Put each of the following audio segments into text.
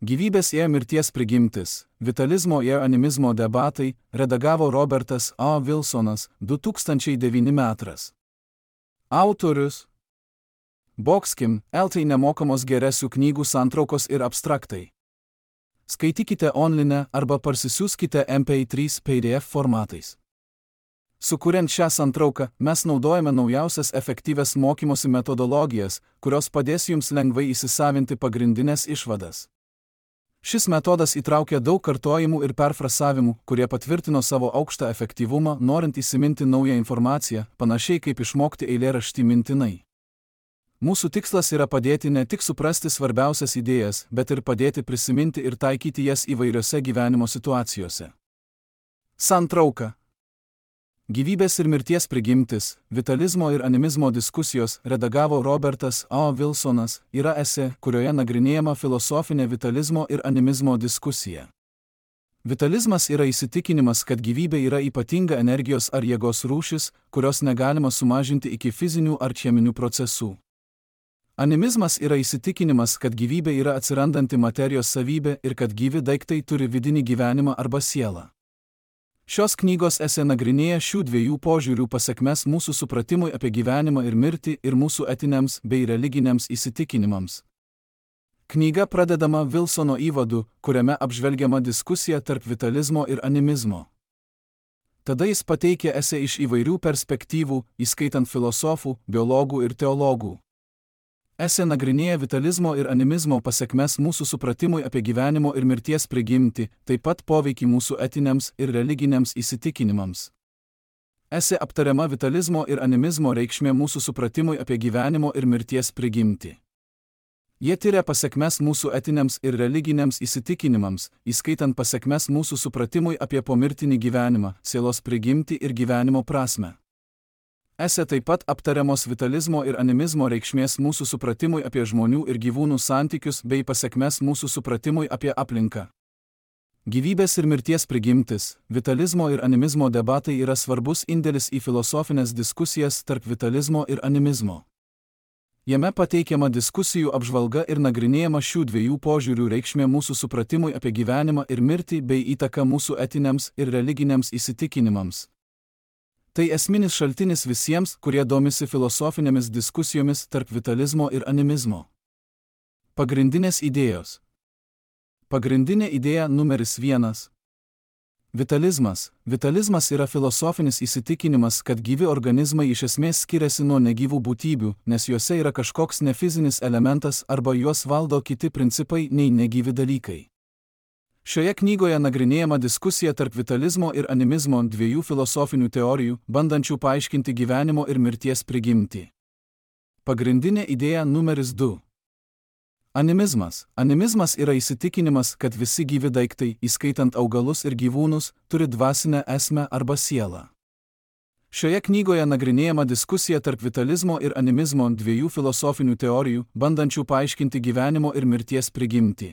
Gyvybės ir mirties prigimtis, vitalizmo ir animizmo debatai, redagavo Robertas A. Wilsonas, 2009 metras. Autorius Boxkim, LT nemokamos geresių knygų santraukos ir abstraktai. Skaitykite online arba parsisiųskite MP3 PDF formatais. Sukuriant šią santrauką, mes naudojame naujausias efektyvias mokymosi metodologijas, kurios padės jums lengvai įsisavinti pagrindinės išvadas. Šis metodas įtraukia daug kartojimų ir perfrasavimų, kurie patvirtino savo aukštą efektyvumą, norint įsiminti naują informaciją, panašiai kaip išmokti eilėraštį mintinai. Mūsų tikslas yra padėti ne tik suprasti svarbiausias idėjas, bet ir padėti prisiminti ir taikyti jas įvairiose gyvenimo situacijose. Santrauka. Gyvybės ir mirties prigimtis, vitalizmo ir animizmo diskusijos, redagavo Robertas A. Wilsonas, yra esė, kurioje nagrinėjama filosofinė vitalizmo ir animizmo diskusija. Vitalizmas yra įsitikinimas, kad gyvybė yra ypatinga energijos ar jėgos rūšis, kurios negalima sumažinti iki fizinių ar cheminių procesų. Animizmas yra įsitikinimas, kad gyvybė yra atsirandanti materijos savybė ir kad gyvi daiktai turi vidinį gyvenimą arba sielą. Šios knygos esė nagrinėja šių dviejų požiūrių pasekmes mūsų supratimui apie gyvenimą ir mirtį ir mūsų etiniams bei religiniams įsitikinimams. Knyga pradedama Wilsono įvadu, kuriame apžvelgiama diskusija tarp vitalizmo ir animizmo. Tada jis pateikia esė iš įvairių perspektyvų, įskaitant filosofų, biologų ir teologų. Esė nagrinėja vitalizmo ir animizmo pasekmes mūsų supratimui apie gyvenimo ir mirties prigimtį, taip pat poveikį mūsų etiniams ir religiniams įsitikinimams. Esė aptariama vitalizmo ir animizmo reikšmė mūsų supratimui apie gyvenimo ir mirties prigimtį. Jie tyria pasekmes mūsų etiniams ir religiniams įsitikinimams, įskaitant pasekmes mūsų supratimui apie pomirtinį gyvenimą, sielos prigimtį ir gyvenimo prasmę. Esė taip pat aptariamos vitalizmo ir animizmo reikšmės mūsų supratimui apie žmonių ir gyvūnų santykius bei pasekmes mūsų supratimui apie aplinką. Gyvybės ir mirties prigimtis, vitalizmo ir animizmo debatai yra svarbus indėlis į filosofinės diskusijas tarp vitalizmo ir animizmo. Jame pateikiama diskusijų apžvalga ir nagrinėjama šių dviejų požiūrių reikšmė mūsų supratimui apie gyvenimą ir mirtį bei įtaka mūsų etiniams ir religiniams įsitikinimams. Tai esminis šaltinis visiems, kurie domisi filosofinėmis diskusijomis tarp vitalizmo ir animizmo. Pagrindinės idėjos. Pagrindinė idėja numeris 1. Vitalizmas. Vitalizmas yra filosofinis įsitikinimas, kad gyvi organizmai iš esmės skiriasi nuo negyvų būtybių, nes juose yra kažkoks nefizinis elementas arba juos valdo kiti principai nei negyvi dalykai. Šioje knygoje nagrinėjama diskusija tarp vitalizmo ir animizmo dviejų filosofinių teorijų, bandančių paaiškinti gyvenimo ir mirties prigimtį. Pagrindinė idėja numeris 2. Animizmas. Animizmas yra įsitikinimas, kad visi gyvi daiktai, įskaitant augalus ir gyvūnus, turi dvasinę esmę arba sielą. Šioje knygoje nagrinėjama diskusija tarp vitalizmo ir animizmo dviejų filosofinių teorijų, bandančių paaiškinti gyvenimo ir mirties prigimtį.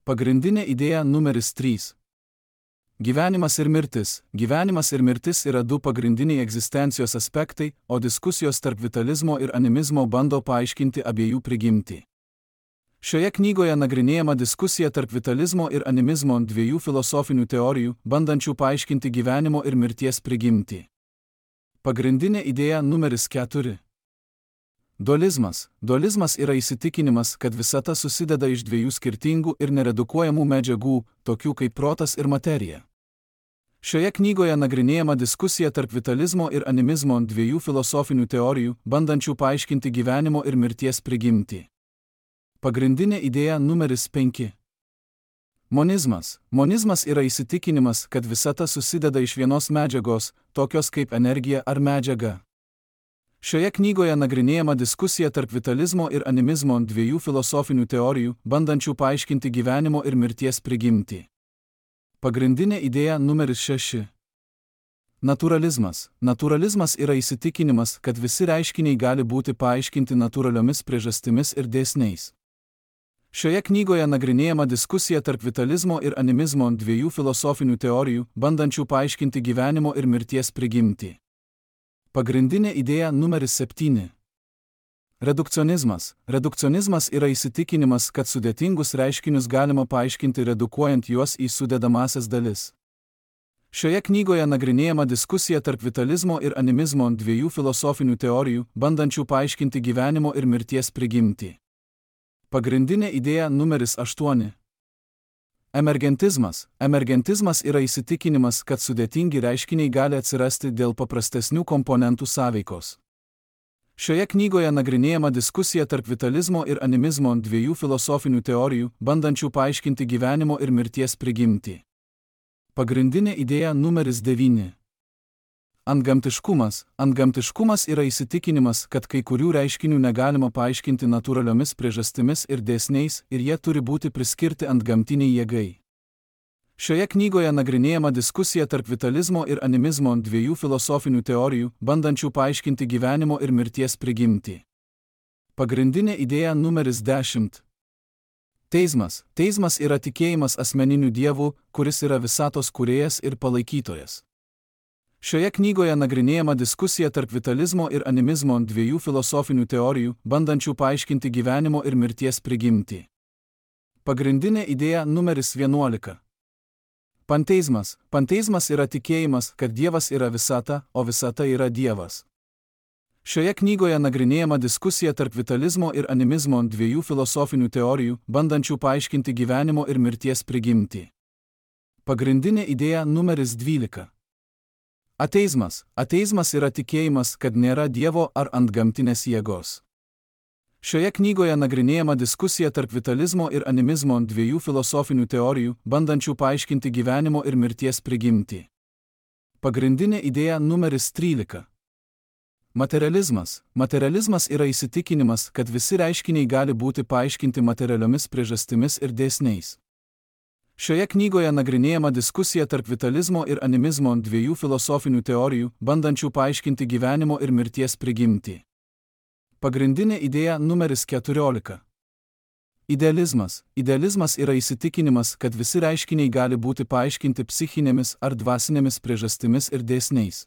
Pagrindinė idėja numeris 3. Gyvenimas ir mirtis. Gyvenimas ir mirtis yra du pagrindiniai egzistencijos aspektai, o diskusijos tarp vitalizmo ir animizmo bando paaiškinti abiejų prigimtį. Šioje knygoje nagrinėjama diskusija tarp vitalizmo ir animizmo dviejų filosofinių teorijų, bandančių paaiškinti gyvenimo ir mirties prigimtį. Pagrindinė idėja numeris 4. Dualizmas. Dualizmas yra įsitikinimas, kad visata susideda iš dviejų skirtingų ir neredukuojamų medžiagų, tokių kaip protas ir materija. Šioje knygoje nagrinėjama diskusija tarp vitalizmo ir animizmo dviejų filosofinių teorijų, bandančių paaiškinti gyvenimo ir mirties prigimtį. Pagrindinė idėja numeris 5. Monizmas. Monizmas yra įsitikinimas, kad visata susideda iš vienos medžiagos, tokios kaip energija ar medžiaga. Šioje knygoje nagrinėjama diskusija tarp vitalizmo ir animizmo dviejų filosofinių teorijų, bandančių paaiškinti gyvenimo ir mirties prigimtį. Pagrindinė idėja numeris 6. Naturalizmas. Naturalizmas yra įsitikinimas, kad visi reiškiniai gali būti paaiškinti natūraliomis priežastimis ir dėsniais. Šioje knygoje nagrinėjama diskusija tarp vitalizmo ir animizmo dviejų filosofinių teorijų, bandančių paaiškinti gyvenimo ir mirties prigimtį. Pagrindinė idėja numeris 7. Redukcionizmas. Redukcionizmas yra įsitikinimas, kad sudėtingus reiškinius galima paaiškinti redukuojant juos į sudedamąsias dalis. Šioje knygoje nagrinėjama diskusija tarp vitalizmo ir animizmo, dviejų filosofinių teorijų, bandančių paaiškinti gyvenimo ir mirties prigimtį. Pagrindinė idėja numeris 8. Emergentizmas. Emergentizmas yra įsitikinimas, kad sudėtingi reiškiniai gali atsirasti dėl paprastesnių komponentų sąveikos. Šioje knygoje nagrinėjama diskusija tarp vitalizmo ir animizmo, dviejų filosofinių teorijų, bandančių paaiškinti gyvenimo ir mirties prigimtį. Pagrindinė idėja numeris 9. Antgamtiškumas. Antgamtiškumas yra įsitikinimas, kad kai kurių reiškinių negalima paaiškinti natūraliomis priežastimis ir dėsniais ir jie turi būti priskirti antgamtiniai jėgai. Šioje knygoje nagrinėjama diskusija tarp vitalizmo ir animizmo, dviejų filosofinių teorijų, bandančių paaiškinti gyvenimo ir mirties prigimtį. Pagrindinė idėja numeris 10. Teizmas. Teizmas yra tikėjimas asmeniniu dievu, kuris yra visatos kūrėjas ir palaikytojas. Šioje knygoje nagrinėjama diskusija tarp vitalizmo ir animizmo, dviejų filosofinių teorijų, bandančių paaiškinti gyvenimo ir mirties prigimtį. Pagrindinė idėja numeris 11. Panteizmas. Panteizmas yra tikėjimas, kad Dievas yra visata, o visata yra Dievas. Šioje knygoje nagrinėjama diskusija tarp vitalizmo ir animizmo, dviejų filosofinių teorijų, bandančių paaiškinti gyvenimo ir mirties prigimtį. Pagrindinė idėja numeris 12. Ateizmas. Ateizmas yra tikėjimas, kad nėra Dievo ar antgamtinės jėgos. Šioje knygoje nagrinėjama diskusija tarp vitalizmo ir animizmo, dviejų filosofinių teorijų, bandančių paaiškinti gyvenimo ir mirties prigimtį. Pagrindinė idėja numeris 13. Materializmas. Materializmas yra įsitikinimas, kad visi reiškiniai gali būti paaiškinti materialiomis priežastimis ir dėsniais. Šioje knygoje nagrinėjama diskusija tarp vitalizmo ir animizmo, dviejų filosofinių teorijų, bandančių paaiškinti gyvenimo ir mirties prigimtį. Pagrindinė idėja numeris 14. Idealizmas. Idealizmas yra įsitikinimas, kad visi reiškiniai gali būti paaiškinti psichinėmis ar dvasinėmis priežastimis ir dėsniais.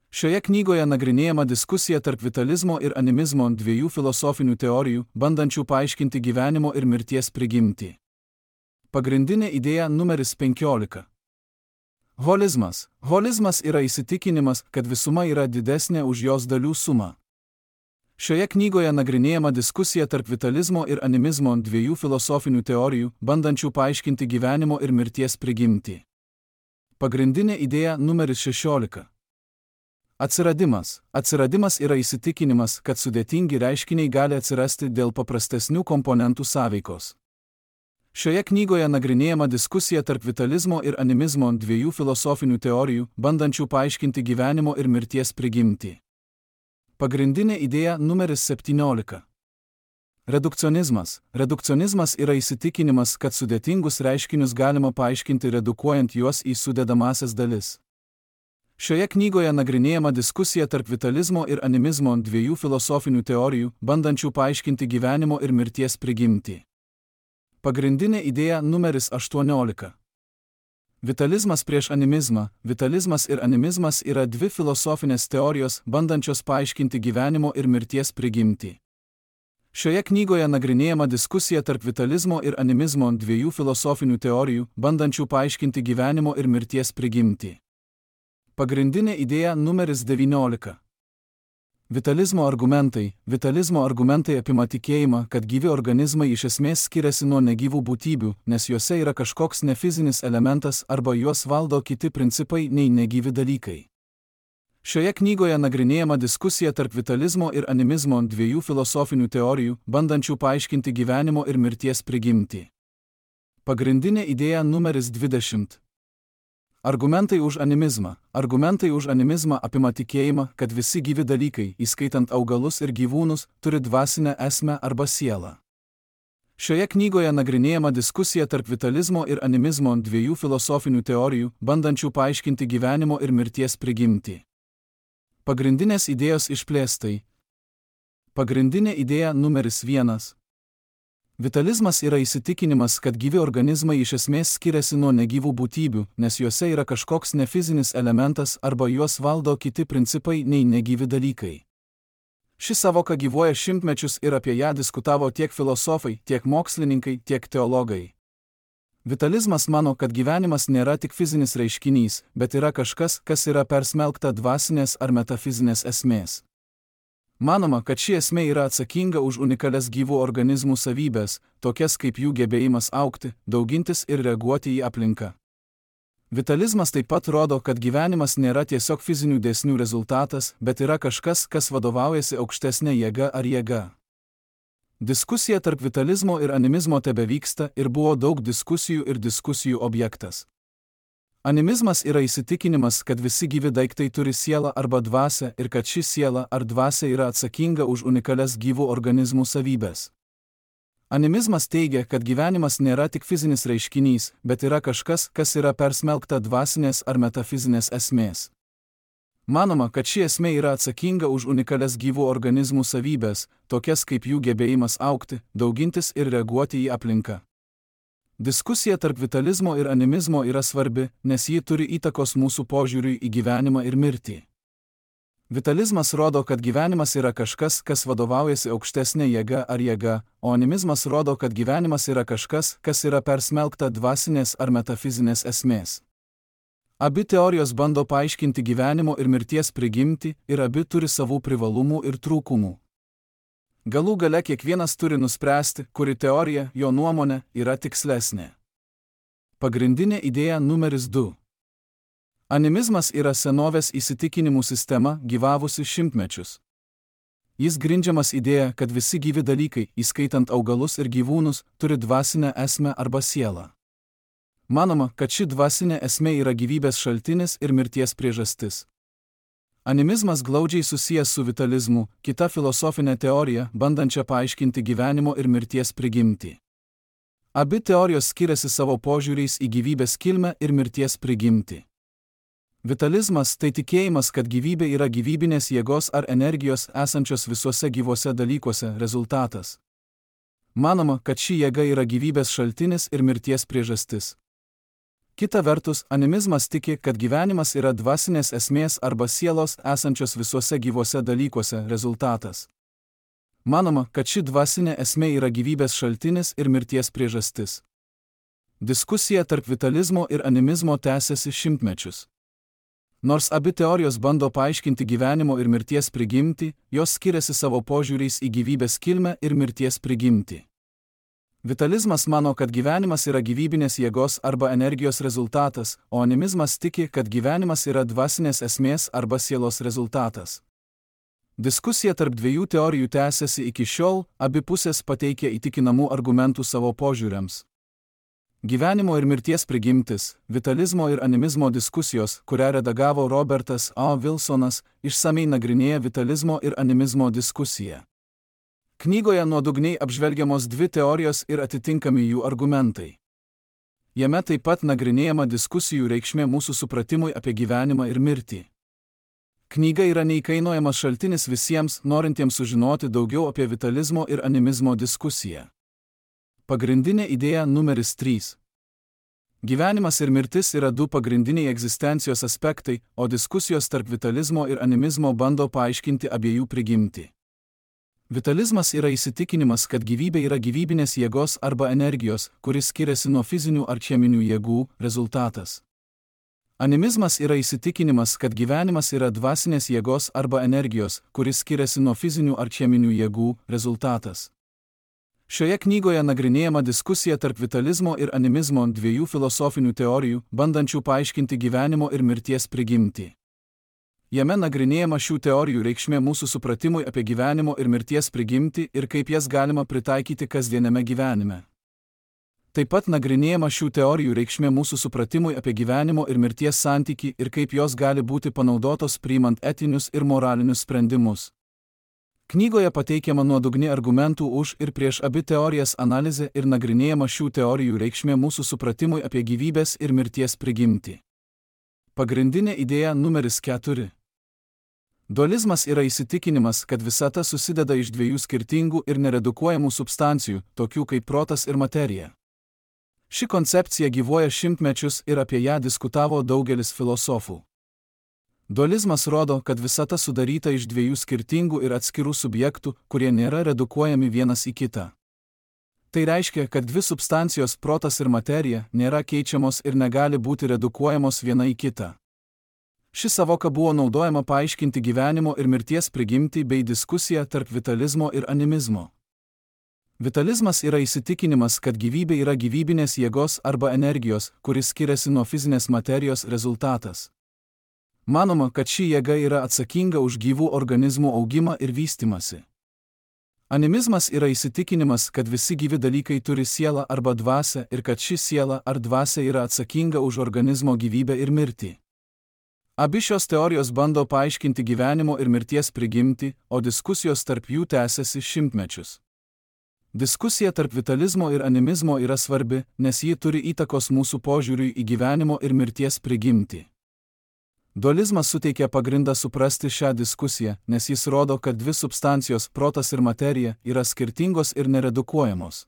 Šioje knygoje nagrinėjama diskusija tarp vitalizmo ir animizmo, dviejų filosofinių teorijų, bandančių paaiškinti gyvenimo ir mirties prigimtį. Pagrindinė idėja numeris 15. Holizmas. Holizmas yra įsitikinimas, kad visuma yra didesnė už jos dalių sumą. Šioje knygoje nagrinėjama diskusija tarp vitalizmo ir animizmo, dviejų filosofinių teorijų, bandančių paaiškinti gyvenimo ir mirties prigimtį. Pagrindinė idėja numeris 16. Atsiradimas. Atsiradimas yra įsitikinimas, kad sudėtingi reiškiniai gali atsirasti dėl paprastesnių komponentų sąveikos. Šioje knygoje nagrinėjama diskusija tarp vitalizmo ir animizmo, dviejų filosofinių teorijų, bandančių paaiškinti gyvenimo ir mirties prigimtį. Pagrindinė idėja numeris 17. Redukcionizmas. Redukcionizmas yra įsitikinimas, kad sudėtingus reiškinius galima paaiškinti redukuojant juos į sudedamąsias dalis. Šioje knygoje nagrinėjama diskusija tarp vitalizmo ir animizmo, dviejų filosofinių teorijų, bandančių paaiškinti gyvenimo ir mirties prigimtį. Pagrindinė idėja numeris 18. Vitalizmas prieš animizmą. Vitalizmas ir animizmas yra dvi filosofinės teorijos, bandančios paaiškinti gyvenimo ir mirties prigimtį. Šioje knygoje nagrinėjama diskusija tarp vitalizmo ir animizmo, dviejų filosofinių teorijų, bandančių paaiškinti gyvenimo ir mirties prigimtį. Pagrindinė idėja numeris 19. Vitalizmo argumentai. Vitalizmo argumentai apima tikėjimą, kad gyvi organizmai iš esmės skiriasi nuo negyvų būtybių, nes juose yra kažkoks nefizinis elementas arba juos valdo kiti principai nei negyvi dalykai. Šioje knygoje nagrinėjama diskusija tarp vitalizmo ir animizmo, dviejų filosofinių teorijų, bandančių paaiškinti gyvenimo ir mirties prigimtį. Pagrindinė idėja numeris 20. Argumentai už animizmą. Argumentai už animizmą apima tikėjimą, kad visi gyvi dalykai, įskaitant augalus ir gyvūnus, turi dvasinę esmę arba sielą. Šioje knygoje nagrinėjama diskusija tarp vitalizmo ir animizmo, dviejų filosofinių teorijų, bandančių paaiškinti gyvenimo ir mirties prigimtį. Pagrindinės idėjos išplėstai. Pagrindinė idėja numeris 1. Vitalizmas yra įsitikinimas, kad gyvi organizmai iš esmės skiriasi nuo negyvų būtybių, nes juose yra kažkoks nefizinis elementas arba juos valdo kiti principai nei negyvi dalykai. Ši savoka gyvuoja šimtmečius ir apie ją diskutavo tiek filosofai, tiek mokslininkai, tiek teologai. Vitalizmas mano, kad gyvenimas nėra tik fizinis reiškinys, bet yra kažkas, kas yra persmelkta dvasinės ar metafizinės esmės. Manoma, kad ši esmė yra atsakinga už unikalias gyvų organizmų savybės, tokias kaip jų gebėjimas augti, daugintis ir reaguoti į aplinką. Vitalizmas taip pat rodo, kad gyvenimas nėra tiesiog fizinių dėsnių rezultatas, bet yra kažkas, kas vadovaujasi aukštesnė jėga ar jėga. Diskusija tarp vitalizmo ir animizmo tebevyksta ir buvo daug diskusijų ir diskusijų objektas. Animizmas yra įsitikinimas, kad visi gyvi daiktai turi sielą arba dvasią ir kad ši siela ar dvasia yra atsakinga už unikalias gyvų organizmų savybės. Animizmas teigia, kad gyvenimas nėra tik fizinis reiškinys, bet yra kažkas, kas yra persmelkta dvasinės ar metafizinės esmės. Manoma, kad ši esmė yra atsakinga už unikalias gyvų organizmų savybės, tokias kaip jų gebėjimas augti, daugintis ir reaguoti į aplinką. Diskusija tarp vitalizmo ir animizmo yra svarbi, nes ji turi įtakos mūsų požiūriui į gyvenimą ir mirtį. Vitalizmas rodo, kad gyvenimas yra kažkas, kas vadovaujasi aukštesnė jėga ar jėga, o animizmas rodo, kad gyvenimas yra kažkas, kas yra persmelkta dvasinės ar metafizinės esmės. Abi teorijos bando paaiškinti gyvenimo ir mirties prigimtį ir abi turi savų privalumų ir trūkumų. Galų gale kiekvienas turi nuspręsti, kuri teorija, jo nuomonė, yra tikslesnė. Pagrindinė idėja numeris 2. Animizmas yra senovės įsitikinimų sistema, gyvavusi šimtmečius. Jis grindžiamas idėja, kad visi gyvi dalykai, įskaitant augalus ir gyvūnus, turi dvasinę esmę arba sielą. Manoma, kad ši dvasinė esmė yra gyvybės šaltinis ir mirties priežastis. Animizmas glaudžiai susijęs su vitalizmu, kita filosofinė teorija, bandančia paaiškinti gyvenimo ir mirties prigimtį. Abi teorijos skiriasi savo požiūriais į gyvybės kilmę ir mirties prigimtį. Vitalizmas tai tikėjimas, kad gyvybė yra gyvybinės jėgos ar energijos esančios visuose gyvuose dalykuose rezultatas. Manoma, kad ši jėga yra gyvybės šaltinis ir mirties priežastis. Kita vertus, animizmas tiki, kad gyvenimas yra dvasinės esmės arba sielos esančios visuose gyvuose dalykuose rezultatas. Manoma, kad ši dvasinė esmė yra gyvybės šaltinis ir mirties priežastis. Diskusija tarp vitalizmo ir animizmo tęsiasi šimtmečius. Nors abi teorijos bando paaiškinti gyvenimo ir mirties prigimtį, jos skiriasi savo požiūriais į gyvybės kilmę ir mirties prigimtį. Vitalizmas mano, kad gyvenimas yra gyvybinės jėgos arba energijos rezultatas, o animizmas tiki, kad gyvenimas yra dvasinės esmės arba sielos rezultatas. Diskusija tarp dviejų teorijų tęsiasi iki šiol, abi pusės pateikia įtikinamų argumentų savo požiūriams. Gyvenimo ir mirties prigimtis, vitalizmo ir animizmo diskusijos, kurią redagavo Robertas A. Wilsonas, išsamei nagrinėja vitalizmo ir animizmo diskusiją. Knygoje nuodugniai apžvelgiamos dvi teorijos ir atitinkami jų argumentai. Jame taip pat nagrinėjama diskusijų reikšmė mūsų supratimui apie gyvenimą ir mirtį. Knyga yra neįkainojamas šaltinis visiems, norintiems sužinoti daugiau apie vitalizmo ir animizmo diskusiją. Pagrindinė idėja numeris 3. Gyvenimas ir mirtis yra du pagrindiniai egzistencijos aspektai, o diskusijos tarp vitalizmo ir animizmo bando paaiškinti abiejų prigimtį. Vitalizmas yra įsitikinimas, kad gyvybė yra gyvybinės jėgos arba energijos, kuris skiriasi nuo fizinių ar cheminių jėgų, rezultatas. Animizmas yra įsitikinimas, kad gyvenimas yra dvasinės jėgos arba energijos, kuris skiriasi nuo fizinių ar cheminių jėgų, rezultatas. Šioje knygoje nagrinėjama diskusija tarp vitalizmo ir animizmo, dviejų filosofinių teorijų, bandančių paaiškinti gyvenimo ir mirties prigimtį. Jame nagrinėjama šių teorijų reikšmė mūsų supratimui apie gyvenimo ir mirties prigimtį ir kaip jas galima pritaikyti kasdieniame gyvenime. Taip pat nagrinėjama šių teorijų reikšmė mūsų supratimui apie gyvenimo ir mirties santykį ir kaip jos gali būti panaudotos priimant etinius ir moralinius sprendimus. Knygoje pateikiama nuodugni argumentų už ir prieš abi teorijas analizė ir nagrinėjama šių teorijų reikšmė mūsų supratimui apie gyvybės ir mirties prigimtį. Pagrindinė idėja numeris 4. Dualizmas yra įsitikinimas, kad visata susideda iš dviejų skirtingų ir neredukuojamų substancijų, tokių kaip protas ir materija. Ši koncepcija gyvuoja šimtmečius ir apie ją diskutavo daugelis filosofų. Dualizmas rodo, kad visata sudaryta iš dviejų skirtingų ir atskirų subjektų, kurie nėra redukuojami vienas į kitą. Tai reiškia, kad dvi substancijos protas ir materija nėra keičiamos ir negali būti redukuojamos viena į kitą. Ši savoka buvo naudojama paaiškinti gyvenimo ir mirties prigimtį bei diskusiją tarp vitalizmo ir animizmo. Vitalizmas yra įsitikinimas, kad gyvybė yra gyvybinės jėgos arba energijos, kuris skiriasi nuo fizinės materijos rezultatas. Manoma, kad ši jėga yra atsakinga už gyvų organizmų augimą ir vystimąsi. Animizmas yra įsitikinimas, kad visi gyvi dalykai turi sielą arba dvasią ir kad ši siela ar dvasia yra atsakinga už organizmo gyvybę ir mirtį. Abi šios teorijos bando paaiškinti gyvenimo ir mirties prigimtį, o diskusijos tarp jų tęsiasi šimtmečius. Diskusija tarp vitalizmo ir animizmo yra svarbi, nes ji turi įtakos mūsų požiūriui į gyvenimo ir mirties prigimtį. Dualizmas suteikia pagrindą suprasti šią diskusiją, nes jis rodo, kad dvi substancijos protas ir materija yra skirtingos ir neredukuojamos.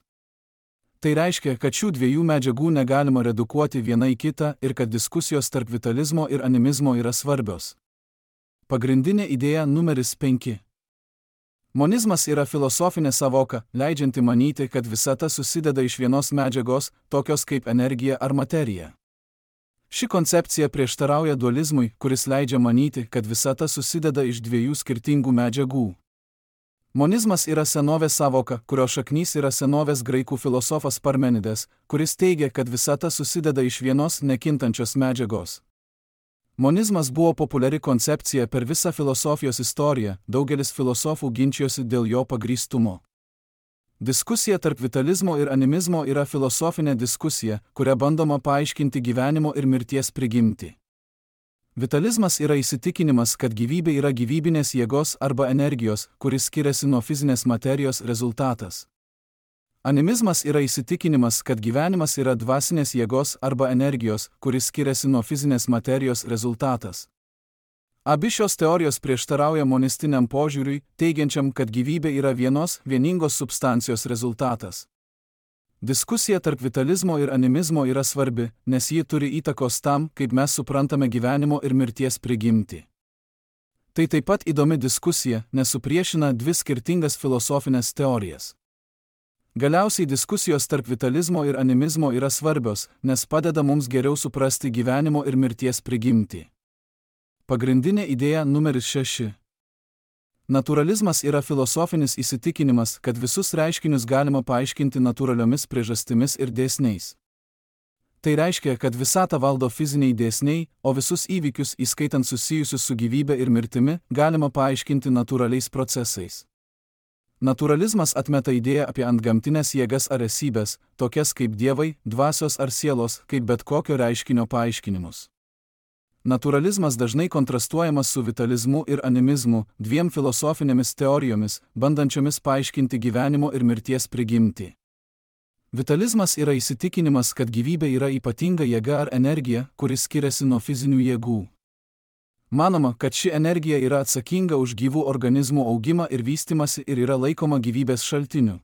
Tai reiškia, kad šių dviejų medžiagų negalima redukuoti viena į kitą ir kad diskusijos tarp vitalizmo ir animizmo yra svarbios. Pagrindinė idėja numeris 5. Monizmas yra filosofinė savoka, leidžianti manyti, kad visata susideda iš vienos medžiagos, tokios kaip energija ar materija. Ši koncepcija prieštarauja dualizmui, kuris leidžia manyti, kad visata susideda iš dviejų skirtingų medžiagų. Monizmas yra senovės savoka, kurio šaknys yra senovės graikų filosofas Parmenides, kuris teigia, kad visata susideda iš vienos nekintančios medžiagos. Monizmas buvo populiari koncepcija per visą filosofijos istoriją, daugelis filosofų ginčijosi dėl jo pagrįstumo. Diskusija tarp vitalizmo ir animizmo yra filosofinė diskusija, kuria bandoma paaiškinti gyvenimo ir mirties prigimtį. Vitalizmas yra įsitikinimas, kad gyvybė yra gyvybinės jėgos arba energijos, kuris skiriasi nuo fizinės materijos rezultatas. Animizmas yra įsitikinimas, kad gyvenimas yra dvasinės jėgos arba energijos, kuris skiriasi nuo fizinės materijos rezultatas. Abi šios teorijos prieštarauja monistiniam požiūriui, teigiančiam, kad gyvybė yra vieningos substancijos rezultatas. Diskusija tarp vitalizmo ir animizmo yra svarbi, nes ji turi įtakos tam, kaip mes suprantame gyvenimo ir mirties prigimtį. Tai taip pat įdomi diskusija, nes supriešina dvi skirtingas filosofinės teorijas. Galiausiai diskusijos tarp vitalizmo ir animizmo yra svarbios, nes padeda mums geriau suprasti gyvenimo ir mirties prigimtį. Pagrindinė idėja numeris 6. Naturalizmas yra filosofinis įsitikinimas, kad visus reiškinius galima paaiškinti natūraliomis priežastimis ir dėsniais. Tai reiškia, kad visatą valdo fiziniai dėsniai, o visus įvykius, įskaitant susijusius su gyvybe ir mirtimi, galima paaiškinti natūraliais procesais. Naturalizmas atmeta idėją apie antgamtinės jėgas ar esybės, tokias kaip dievai, dvasios ar sielos, kaip bet kokio reiškinio paaiškinimus. Naturalizmas dažnai kontrastuojamas su vitalizmu ir animizmu, dviem filosofinėmis teorijomis, bandančiomis paaiškinti gyvenimo ir mirties prigimtį. Vitalizmas yra įsitikinimas, kad gyvybė yra ypatinga jėga ar energija, kuris skiriasi nuo fizinių jėgų. Manoma, kad ši energija yra atsakinga už gyvų organizmų augimą ir vystimąsi ir yra laikoma gyvybės šaltiniu.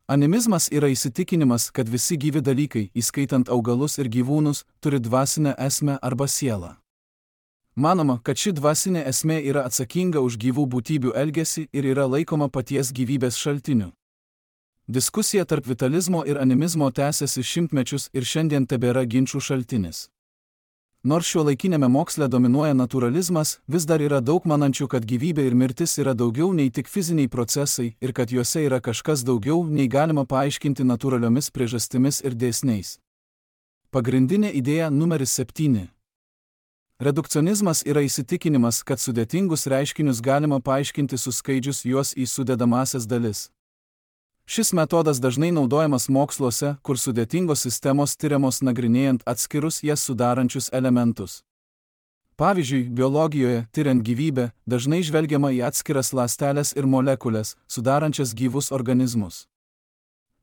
Animizmas yra įsitikinimas, kad visi gyvi dalykai, įskaitant augalus ir gyvūnus, turi dvasinę esmę arba sielą. Manoma, kad ši dvasinė esmė yra atsakinga už gyvų būtybių elgesį ir yra laikoma paties gyvybės šaltiniu. Diskusija tarp vitalizmo ir animizmo tęsiasi šimtmečius ir šiandien tebėra ginčų šaltinis. Nors šiuolaikinėme moksle dominuoja naturalizmas, vis dar yra daug manančių, kad gyvybė ir mirtis yra daugiau nei tik fiziniai procesai ir kad juose yra kažkas daugiau, nei galima paaiškinti natūraliomis priežastimis ir dėsniais. Pagrindinė idėja numeris 7. Redukcionizmas yra įsitikinimas, kad sudėtingus reiškinius galima paaiškinti suskaidžius juos į sudedamąsias dalis. Šis metodas dažnai naudojamas moksluose, kur sudėtingos sistemos tiriamos nagrinėjant atskirus jas sudarančius elementus. Pavyzdžiui, biologijoje, tiriant gyvybę, dažnai žvelgiama į atskiras ląsteles ir molekulės, sudarančias gyvus organizmus.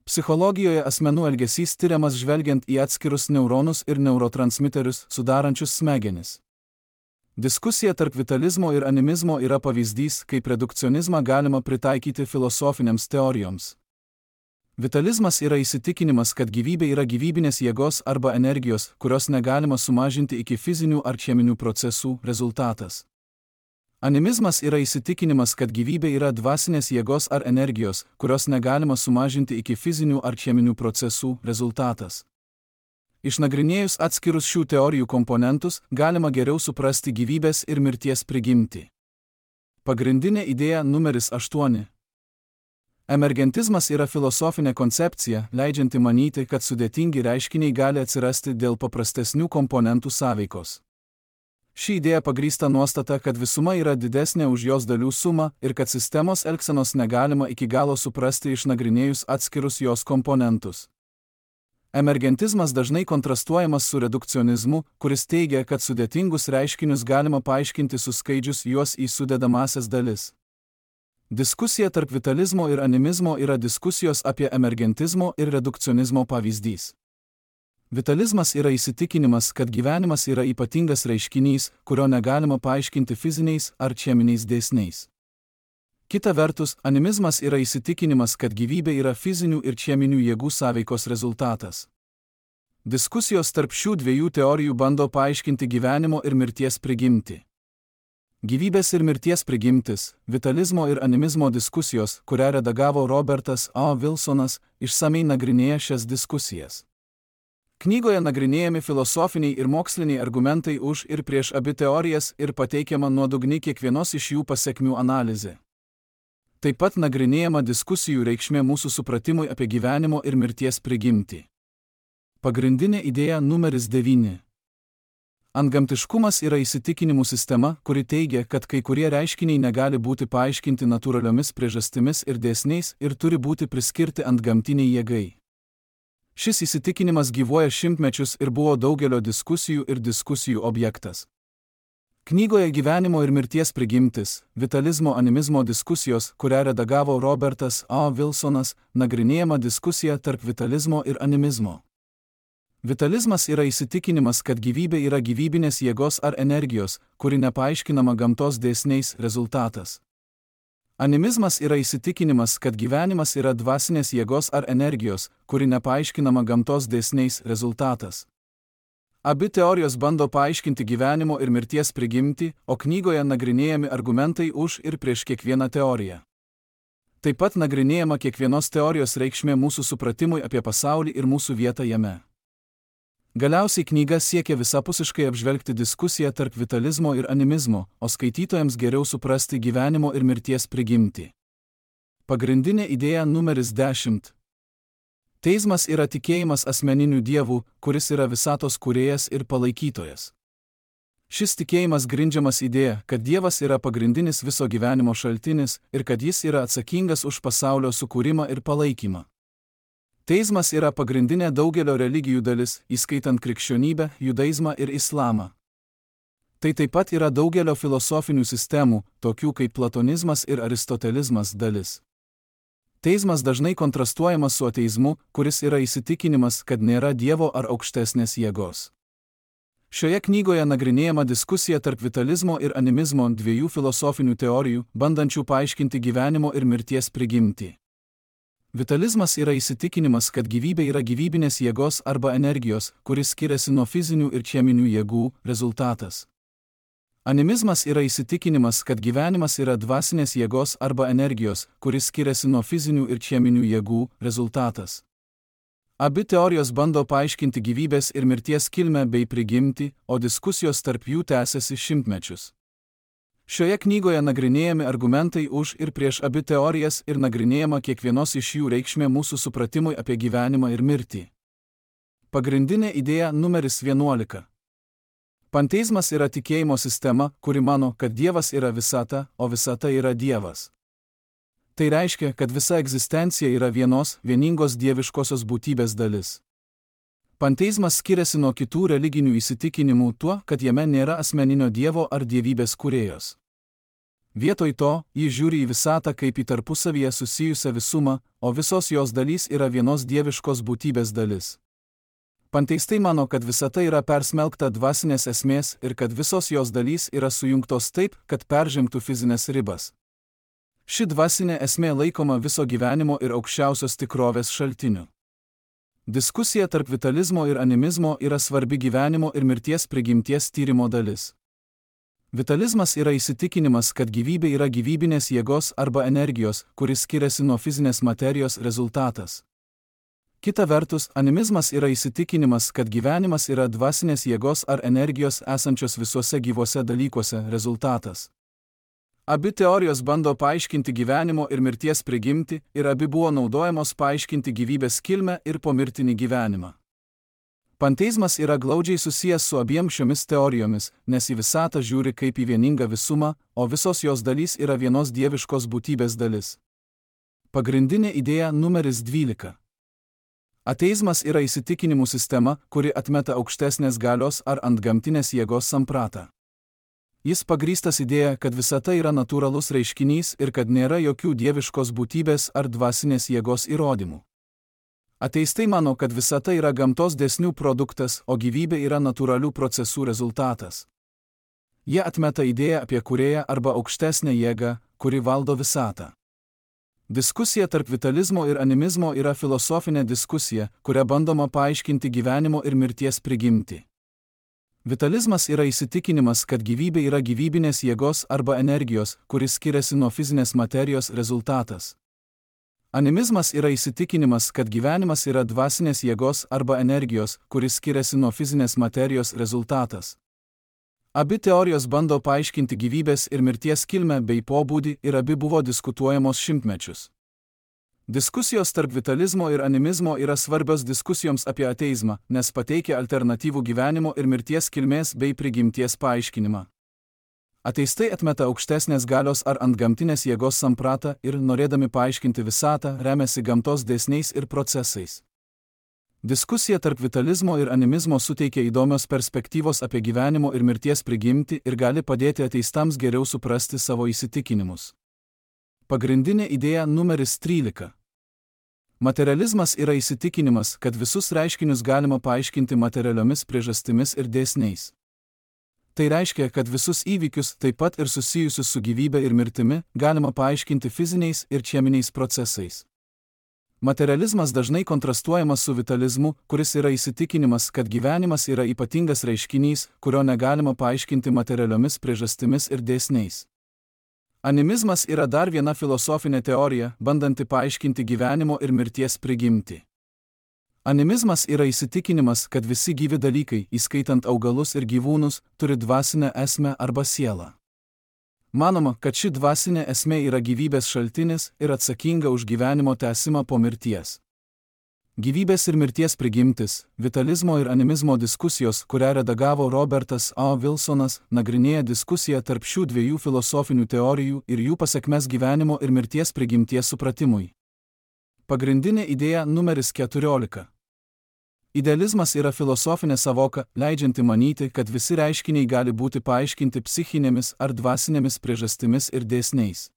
Psichologijoje asmenų elgesys tiriamas žvelgiant į atskirus neuronus ir neurotransmiterius, sudarančius smegenis. Diskusija tarp vitalizmo ir animizmo yra pavyzdys, kaip redukcionizmą galima pritaikyti filosofinėms teorijoms. Vitalizmas yra įsitikinimas, kad gyvybė yra gyvybinės jėgos arba energijos, kurios negalima sumažinti iki fizinių ar cheminių procesų rezultatas. Animizmas yra įsitikinimas, kad gyvybė yra dvasinės jėgos ar energijos, kurios negalima sumažinti iki fizinių ar cheminių procesų rezultatas. Išnagrinėjus atskirus šių teorijų komponentus, galima geriau suprasti gyvybės ir mirties prigimtį. Pagrindinė idėja numeris 8. Emergentizmas yra filosofinė koncepcija, leidžianti manyti, kad sudėtingi reiškiniai gali atsirasti dėl paprastesnių komponentų sąveikos. Ši idėja pagrįsta nuostata, kad visuma yra didesnė už jos dalių sumą ir kad sistemos elgsenos negalima iki galo suprasti išnagrinėjus atskirus jos komponentus. Emergentizmas dažnai kontrastuojamas su redukcionizmu, kuris teigia, kad sudėtingus reiškinius galima paaiškinti suskaidžius juos į sudedamąsias dalis. Diskusija tarp vitalizmo ir animizmo yra diskusijos apie emergentizmo ir redukcionizmo pavyzdys. Vitalizmas yra įsitikinimas, kad gyvenimas yra ypatingas reiškinys, kurio negalima paaiškinti fiziniais ar cheminiais dėsniais. Kita vertus, animizmas yra įsitikinimas, kad gyvybė yra fizinių ir cheminių jėgų sąveikos rezultatas. Diskusijos tarp šių dviejų teorijų bando paaiškinti gyvenimo ir mirties prigimtį. Gyvybės ir mirties prigimtis, vitalizmo ir animizmo diskusijos, kurią redagavo Robertas A. Wilsonas, išsamei nagrinėja šias diskusijas. Knygoje nagrinėjami filosofiniai ir moksliniai argumentai už ir prieš abi teorijas ir pateikiama nuodugni kiekvienos iš jų pasekmių analizė. Taip pat nagrinėjama diskusijų reikšmė mūsų supratimui apie gyvenimo ir mirties prigimtį. Pagrindinė idėja numeris 9. Antgamtiškumas yra įsitikinimų sistema, kuri teigia, kad kai kurie reiškiniai negali būti paaiškinti natūraliomis priežastimis ir dėsniais ir turi būti priskirti antgamtiniai jėgai. Šis įsitikinimas gyvuoja šimtmečius ir buvo daugelio diskusijų ir diskusijų objektas. Knygoje Gyvenimo ir mirties prigimtis, vitalizmo animizmo diskusijos, kurią redagavo Robertas A. Wilsonas, nagrinėjama diskusija tarp vitalizmo ir animizmo. Vitalizmas yra įsitikinimas, kad gyvybė yra gyvybinės jėgos ar energijos, kuri nepaaiškinama gamtos dėsniais rezultatas. Animizmas yra įsitikinimas, kad gyvenimas yra dvasinės jėgos ar energijos, kuri nepaaiškinama gamtos dėsniais rezultatas. Abi teorijos bando paaiškinti gyvenimo ir mirties prigimtį, o knygoje nagrinėjami argumentai už ir prieš kiekvieną teoriją. Taip pat nagrinėjama kiekvienos teorijos reikšmė mūsų supratimui apie pasaulį ir mūsų vietą jame. Galiausiai knyga siekia visapusiškai apžvelgti diskusiją tarp vitalizmo ir animizmo, o skaitytojams geriau suprasti gyvenimo ir mirties prigimtį. Pagrindinė idėja numeris 10. Teizmas yra tikėjimas asmeniniu Dievu, kuris yra visatos kūrėjas ir palaikytojas. Šis tikėjimas grindžiamas idėja, kad Dievas yra pagrindinis viso gyvenimo šaltinis ir kad jis yra atsakingas už pasaulio sukūrimą ir palaikymą. Teizmas yra pagrindinė daugelio religijų dalis, įskaitant krikščionybę, judaizmą ir islamą. Tai taip pat yra daugelio filosofinių sistemų, tokių kaip platonizmas ir aristotelizmas dalis. Teizmas dažnai kontrastuojamas su ateizmu, kuris yra įsitikinimas, kad nėra Dievo ar aukštesnės jėgos. Šioje knygoje nagrinėjama diskusija tarp vitalizmo ir animizmo dviejų filosofinių teorijų, bandančių paaiškinti gyvenimo ir mirties prigimtį. Vitalizmas yra įsitikinimas, kad gyvybė yra gyvybinės jėgos arba energijos, kuris skiriasi nuo fizinių ir cheminių jėgų, rezultatas. Animizmas yra įsitikinimas, kad gyvenimas yra dvasinės jėgos arba energijos, kuris skiriasi nuo fizinių ir cheminių jėgų, rezultatas. Abi teorijos bando paaiškinti gyvybės ir mirties kilmę bei prigimtį, o diskusijos tarp jų tęsiasi šimtmečius. Šioje knygoje nagrinėjami argumentai už ir prieš abi teorijas ir nagrinėjama kiekvienos iš jų reikšmė mūsų supratimui apie gyvenimą ir mirtį. Pagrindinė idėja numeris 11. Panteizmas yra tikėjimo sistema, kuri mano, kad Dievas yra visata, o visata yra Dievas. Tai reiškia, kad visa egzistencija yra vieningos dieviškosios būtybės dalis. Panteizmas skiriasi nuo kitų religinių įsitikinimų tuo, kad jame nėra asmeninio Dievo ar dievybės kūrėjos. Vietoj to, jis žiūri į visatą kaip į tarpusavyje susijusią visumą, o visos jos dalys yra vienos dieviškos būtybės dalis. Panteistai mano, kad visata yra persmelkta dvasinės esmės ir kad visos jos dalys yra sujungtos taip, kad peržengtų fizinės ribas. Ši dvasinė esmė laikoma viso gyvenimo ir aukščiausios tikrovės šaltiniu. Diskusija tarp vitalizmo ir animizmo yra svarbi gyvenimo ir mirties prigimties tyrimo dalis. Vitalizmas yra įsitikinimas, kad gyvybė yra gyvybinės jėgos arba energijos, kuris skiriasi nuo fizinės materijos rezultatas. Kita vertus, animizmas yra įsitikinimas, kad gyvenimas yra dvasinės jėgos ar energijos esančios visuose gyvuose dalykuose rezultatas. Abi teorijos bando paaiškinti gyvenimo ir mirties prigimtį ir abi buvo naudojamos paaiškinti gyvybės kilmę ir pomirtinį gyvenimą. Panteizmas yra glaudžiai susijęs su abiem šiomis teorijomis, nes į visatą žiūri kaip į vieningą visumą, o visos jos dalys yra vienos dieviškos būtybės dalis. Pagrindinė idėja numeris 12. Ateizmas yra įsitikinimų sistema, kuri atmeta aukštesnės galios ar antgamtinės jėgos sampratą. Jis pagrįstas idėja, kad visata yra natūralus reiškinys ir kad nėra jokių dieviškos būtybės ar dvasinės jėgos įrodymų. Ateistai mano, kad visata yra gamtos dėsnių produktas, o gyvybė yra natūralių procesų rezultatas. Jie atmeta idėją apie kūrėją arba aukštesnę jėgą, kuri valdo visatą. Diskusija tarp vitalizmo ir animizmo yra filosofinė diskusija, kuria bandoma paaiškinti gyvenimo ir mirties prigimtį. Vitalizmas yra įsitikinimas, kad gyvybė yra gyvybinės jėgos arba energijos, kuris skiriasi nuo fizinės materijos rezultatas. Animizmas yra įsitikinimas, kad gyvenimas yra dvasinės jėgos arba energijos, kuris skiriasi nuo fizinės materijos rezultatas. Abi teorijos bando paaiškinti gyvybės ir mirties kilmę bei pobūdį ir abi buvo diskutuojamos šimtmečius. Diskusijos tarp vitalizmo ir animizmo yra svarbios diskusijoms apie ateizmą, nes pateikia alternatyvų gyvenimo ir mirties kilmės bei prigimties paaiškinimą. Ateistai atmeta aukštesnės galios ar antgamtinės jėgos sampratą ir, norėdami paaiškinti visatą, remiasi gamtos dėsniais ir procesais. Diskusija tarp vitalizmo ir animizmo suteikia įdomios perspektyvos apie gyvenimo ir mirties prigimtį ir gali padėti ateistams geriau suprasti savo įsitikinimus. Pagrindinė idėja numeris 13. Materializmas yra įsitikinimas, kad visus reiškinius galima paaiškinti materialiomis priežastimis ir dėsniais. Tai reiškia, kad visus įvykius, taip pat ir susijusius su gyvybe ir mirtimi, galima paaiškinti fiziniais ir cheminiais procesais. Materializmas dažnai kontrastuojamas su vitalizmu, kuris yra įsitikinimas, kad gyvenimas yra ypatingas reiškinys, kurio negalima paaiškinti materialiomis priežastimis ir dėsniais. Animizmas yra dar viena filosofinė teorija, bandanti paaiškinti gyvenimo ir mirties prigimtį. Animizmas yra įsitikinimas, kad visi gyvi dalykai, įskaitant augalus ir gyvūnus, turi dvasinę esmę arba sielą. Manoma, kad ši dvasinė esmė yra gyvybės šaltinis ir atsakinga už gyvenimo tęsimą po mirties. Gyvybės ir mirties prigimtis, vitalizmo ir animizmo diskusijos, kurią redagavo Robertas A. Wilsonas, nagrinėja diskusiją tarp šių dviejų filosofinių teorijų ir jų pasekmes gyvenimo ir mirties prigimties supratimui. Pagrindinė idėja numeris 14. Idealizmas yra filosofinė savoka, leidžianti manyti, kad visi reiškiniai gali būti paaiškinti psichinėmis ar dvasinėmis priežastimis ir dėsniais.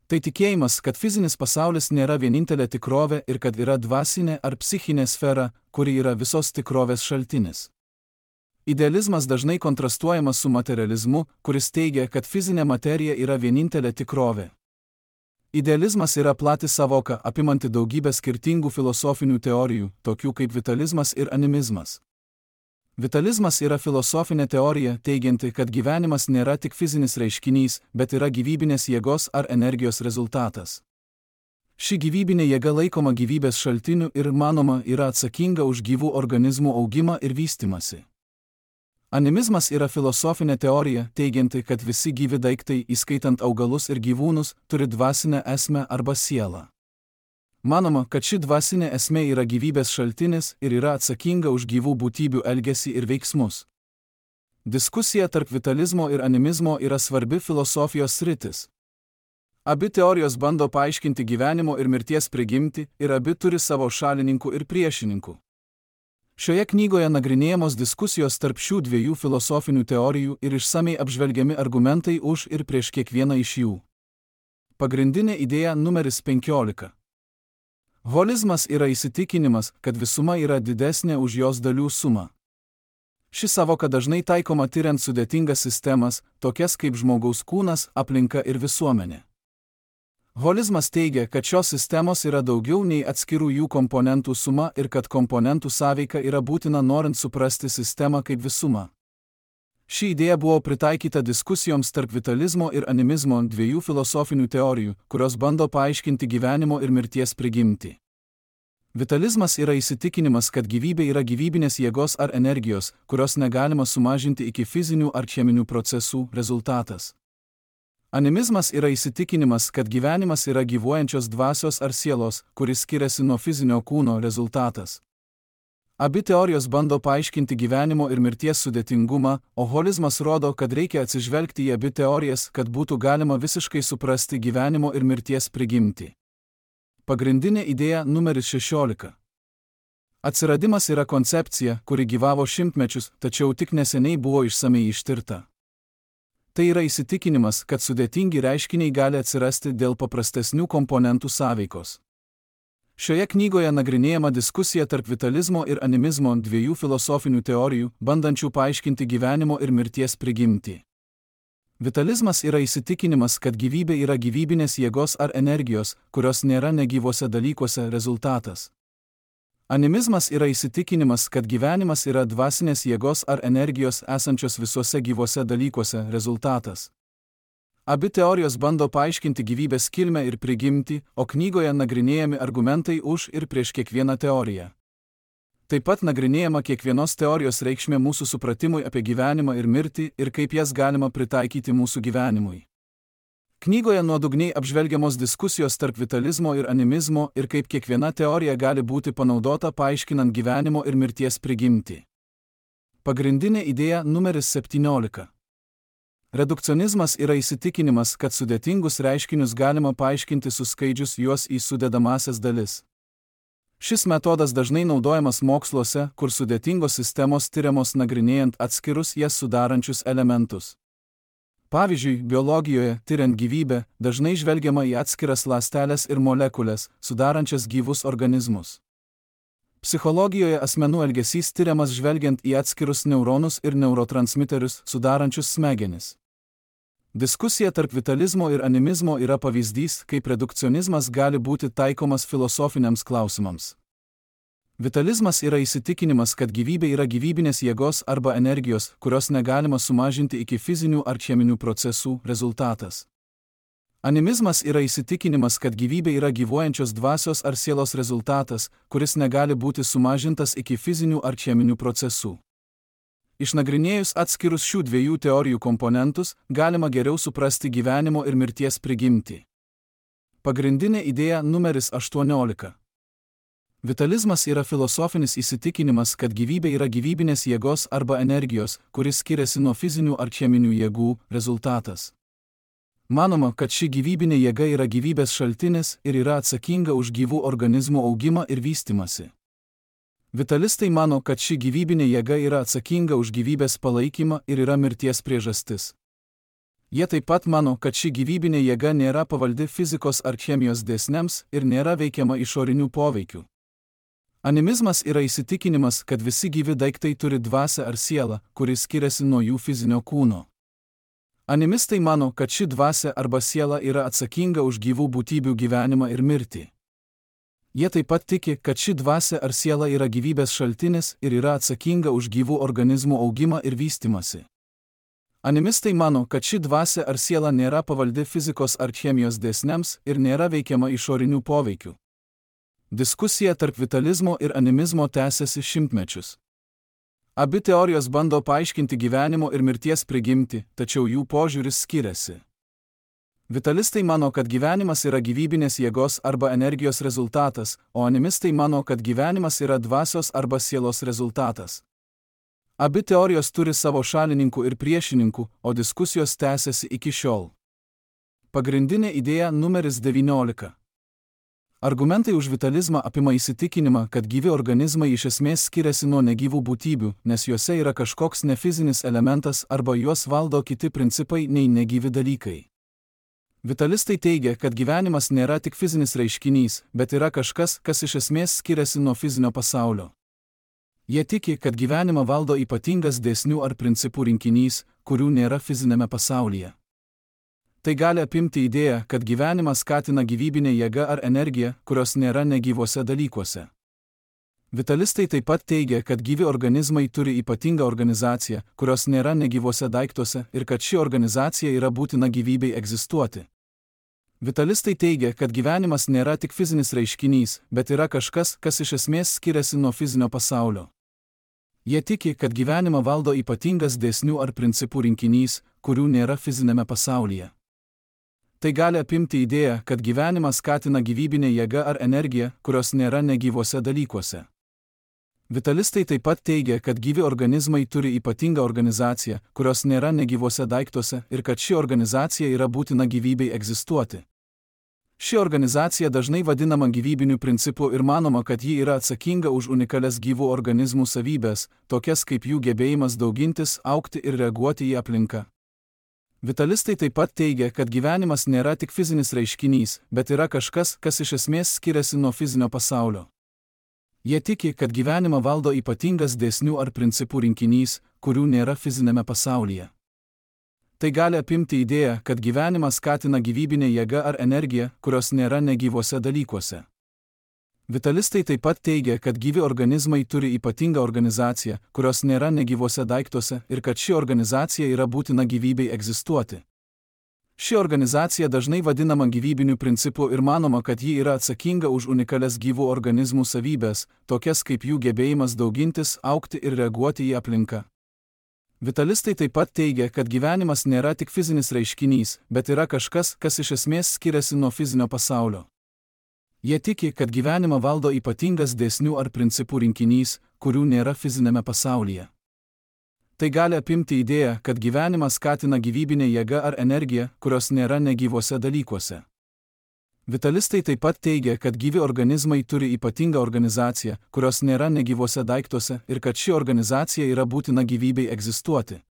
Tai tikėjimas, kad fizinis pasaulis nėra vienintelė tikrovė ir kad yra dvasinė ar psichinė sfera, kuri yra visos tikrovės šaltinis. Idealizmas dažnai kontrastuojamas su materializmu, kuris teigia, kad fizinė materija yra vienintelė tikrovė. Idealizmas yra plati savoka, apimanti daugybę skirtingų filosofinių teorijų, tokių kaip vitalizmas ir animizmas. Vitalizmas yra filosofinė teorija, teigianti, kad gyvenimas nėra tik fizinis reiškinys, bet yra gyvybinės jėgos ar energijos rezultatas. Ši gyvybinė jėga laikoma gyvybės šaltiniu ir, manoma, yra atsakinga už gyvų organizmų augimą ir vystymąsi. Animizmas yra filosofinė teorija, teigianti, kad visi gyvi daiktai, įskaitant augalus ir gyvūnus, turi dvasinę esmę arba sielą. Manoma, kad ši dvasinė esmė yra gyvybės šaltinis ir yra atsakinga už gyvų būtybių elgesį ir veiksmus. Diskusija tarp vitalizmo ir animizmo yra svarbi filosofijos sritis. Abi teorijos bando paaiškinti gyvenimo ir mirties prigimtį ir abi turi savo šalininkų ir priešininkų. Šioje knygoje nagrinėjamos diskusijos tarp šių dviejų filosofinių teorijų ir išsamei apžvelgiami argumentai už ir prieš kiekvieną iš jų. Pagrindinė idėja numeris 15. Holizmas yra įsitikinimas, kad visuma yra didesnė už jos dalių sumą. Ši savoka dažnai taikoma tiriant sudėtingas sistemas, tokias kaip žmogaus kūnas, aplinka ir visuomenė. Holizmas teigia, kad šios sistemos yra daugiau nei atskirų jų komponentų suma ir kad komponentų sąveika yra būtina norint suprasti sistemą kaip visumą. Ši idėja buvo pritaikyta diskusijoms tarp vitalizmo ir animizmo, dviejų filosofinių teorijų, kurios bando paaiškinti gyvenimo ir mirties prigimtį. Vitalizmas yra įsitikinimas, kad gyvybė yra gyvybinės jėgos ar energijos, kurios negalima sumažinti iki fizinių ar cheminių procesų rezultatas. Animizmas yra įsitikinimas, kad gyvenimas yra gyvuojančios dvasios ar sielos, kuris skiriasi nuo fizinio kūno rezultatas. Abi teorijos bando paaiškinti gyvenimo ir mirties sudėtingumą, o holizmas rodo, kad reikia atsižvelgti į abi teorijas, kad būtų galima visiškai suprasti gyvenimo ir mirties prigimtį. Pagrindinė idėja numeris 16. Atsiradimas yra koncepcija, kuri gyvavo šimtmečius, tačiau tik neseniai buvo išsamei ištirta. Tai yra įsitikinimas, kad sudėtingi reiškiniai gali atsirasti dėl paprastesnių komponentų sąveikos. Šioje knygoje nagrinėjama diskusija tarp vitalizmo ir animizmo, dviejų filosofinių teorijų, bandančių paaiškinti gyvenimo ir mirties prigimtį. Vitalizmas yra įsitikinimas, kad gyvybė yra gyvybinės jėgos ar energijos, kurios nėra negyvose dalykuose rezultatas. Animizmas yra įsitikinimas, kad gyvenimas yra dvasinės jėgos ar energijos esančios visuose gyvuose dalykuose rezultatas. Abi teorijos bando paaiškinti gyvybės kilmę ir prigimtį, o knygoje nagrinėjami argumentai už ir prieš kiekvieną teoriją. Taip pat nagrinėjama kiekvienos teorijos reikšmė mūsų supratimui apie gyvenimą ir mirtį ir kaip jas galima pritaikyti mūsų gyvenimui. Knygoje nuodugniai apžvelgiamos diskusijos tarp vitalizmo ir animizmo ir kaip kiekviena teorija gali būti panaudota paaiškinant gyvenimo ir mirties prigimtį. Pagrindinė idėja numeris 17. Redukcionizmas yra įsitikinimas, kad sudėtingus reiškinius galima paaiškinti suskaidžius juos į sudedamąsias dalis. Šis metodas dažnai naudojamas moksluose, kur sudėtingos sistemos tiriamos nagrinėjant atskirus jas sudarančius elementus. Pavyzdžiui, biologijoje, tiriant gyvybę, dažnai žvelgiama į atskiras ląsteles ir molekulės, sudarančias gyvus organizmus. Psichologijoje asmenų elgesys tiriamas žvelgiant į atskirus neuronus ir neurotransmiterius, sudarančius smegenis. Diskusija tarp vitalizmo ir animizmo yra pavyzdys, kaip redukcionizmas gali būti taikomas filosofiniams klausimams. Vitalizmas yra įsitikinimas, kad gyvybė yra gyvybinės jėgos arba energijos, kurios negalima sumažinti iki fizinių ar cheminių procesų rezultatas. Animizmas yra įsitikinimas, kad gyvybė yra gyvuojančios dvasios ar sielos rezultatas, kuris negali būti sumažintas iki fizinių ar cheminių procesų. Išnagrinėjus atskirus šių dviejų teorijų komponentus, galima geriau suprasti gyvenimo ir mirties prigimtį. Pagrindinė idėja numeris 18. Vitalizmas yra filosofinis įsitikinimas, kad gyvybė yra gyvybinės jėgos arba energijos, kuris skiriasi nuo fizinių ar cheminių jėgų, rezultatas. Manoma, kad ši gyvybinė jėga yra gyvybės šaltinis ir yra atsakinga už gyvų organizmų augimą ir vystymąsi. Vitalistai mano, kad ši gyvybinė jėga yra atsakinga už gyvybės palaikymą ir yra mirties priežastis. Jie taip pat mano, kad ši gyvybinė jėga nėra pavaldi fizikos ar chemijos dėsniams ir nėra veikiama išorinių poveikių. Animizmas yra įsitikinimas, kad visi gyvi daiktai turi dvasią ar sielą, kuris skiriasi nuo jų fizinio kūno. Animistai mano, kad ši dvasia arba siela yra atsakinga už gyvų būtybių gyvenimą ir mirtį. Jie taip pat tiki, kad ši dvasia ar siela yra gyvybės šaltinis ir yra atsakinga už gyvų organizmų augimą ir vystymąsi. Animistai mano, kad ši dvasia ar siela nėra pavaldi fizikos ar chemijos dėsniams ir nėra veikiama išorinių poveikių. Diskusija tarp vitalizmo ir animizmo tęsiasi šimtmečius. Abi teorijos bando paaiškinti gyvenimo ir mirties prigimtį, tačiau jų požiūris skiriasi. Vitalistai mano, kad gyvenimas yra gyvybinės jėgos arba energijos rezultatas, o animistai mano, kad gyvenimas yra dvasios arba sielos rezultatas. Abi teorijos turi savo šalininkų ir priešininkų, o diskusijos tęsiasi iki šiol. Pagrindinė idėja numeris 19. Argumentai už vitalizmą apima įsitikinimą, kad gyvi organizmai iš esmės skiriasi nuo negyvų būtybių, nes juose yra kažkoks nefizinis elementas arba juos valdo kiti principai nei negyvi dalykai. Vitalistai teigia, kad gyvenimas nėra tik fizinis reiškinys, bet yra kažkas, kas iš esmės skiriasi nuo fizinio pasaulio. Jie tiki, kad gyvenimą valdo ypatingas dėsnių ar principų rinkinys, kurių nėra fizinėme pasaulyje. Tai gali apimti idėją, kad gyvenimas skatina gyvybinė jėga ar energija, kurios nėra negyvose dalykuose. Vitalistai taip pat teigia, kad gyvi organizmai turi ypatingą organizaciją, kurios nėra negyvose daiktuose ir kad ši organizacija yra būtina gyvybei egzistuoti. Vitalistai teigia, kad gyvenimas nėra tik fizinis reiškinys, bet yra kažkas, kas iš esmės skiriasi nuo fizinio pasaulio. Jie tiki, kad gyvenimą valdo ypatingas dėsnių ar principų rinkinys, kurių nėra fizinėme pasaulyje. Tai gali apimti idėją, kad gyvenimas skatina gyvybinė jėga ar energija, kurios nėra negyvose dalykuose. Vitalistai taip pat teigia, kad gyvi organizmai turi ypatingą organizaciją, kurios nėra negyvose daiktuose ir kad ši organizacija yra būtina gyvybei egzistuoti. Ši organizacija dažnai vadinama gyvybiniu principu ir manoma, kad ji yra atsakinga už unikalias gyvų organizmų savybės, tokias kaip jų gebėjimas daugintis, augti ir reaguoti į aplinką. Vitalistai taip pat teigia, kad gyvenimas nėra tik fizinis reiškinys, bet yra kažkas, kas iš esmės skiriasi nuo fizinio pasaulio. Jie tiki, kad gyvenimą valdo ypatingas dėsnių ar principų rinkinys, kurių nėra fizinėme pasaulyje. Tai gali apimti idėją, kad gyvenimas skatina gyvybinė jėga ar energija, kurios nėra negyvose dalykuose. Vitalistai taip pat teigia, kad gyvi organizmai turi ypatingą organizaciją, kurios nėra negyvose daiktuose ir kad ši organizacija yra būtina gyvybei egzistuoti. Ši organizacija dažnai vadinama gyvybiniu principu ir manoma, kad ji yra atsakinga už unikalias gyvų organizmų savybės, tokias kaip jų gebėjimas daugintis, augti ir reaguoti į aplinką. Vitalistai taip pat teigia, kad gyvenimas nėra tik fizinis reiškinys, bet yra kažkas, kas iš esmės skiriasi nuo fizinio pasaulio. Jie tiki, kad gyvenimą valdo ypatingas dėsnių ar principų rinkinys, kurių nėra fizinėme pasaulyje. Tai gali apimti idėją, kad gyvenimas skatina gyvybinė jėga ar energija, kurios nėra negyvose dalykuose. Vitalistai taip pat teigia, kad gyvi organizmai turi ypatingą organizaciją, kurios nėra negyvose daiktuose ir kad ši organizacija yra būtina gyvybei egzistuoti.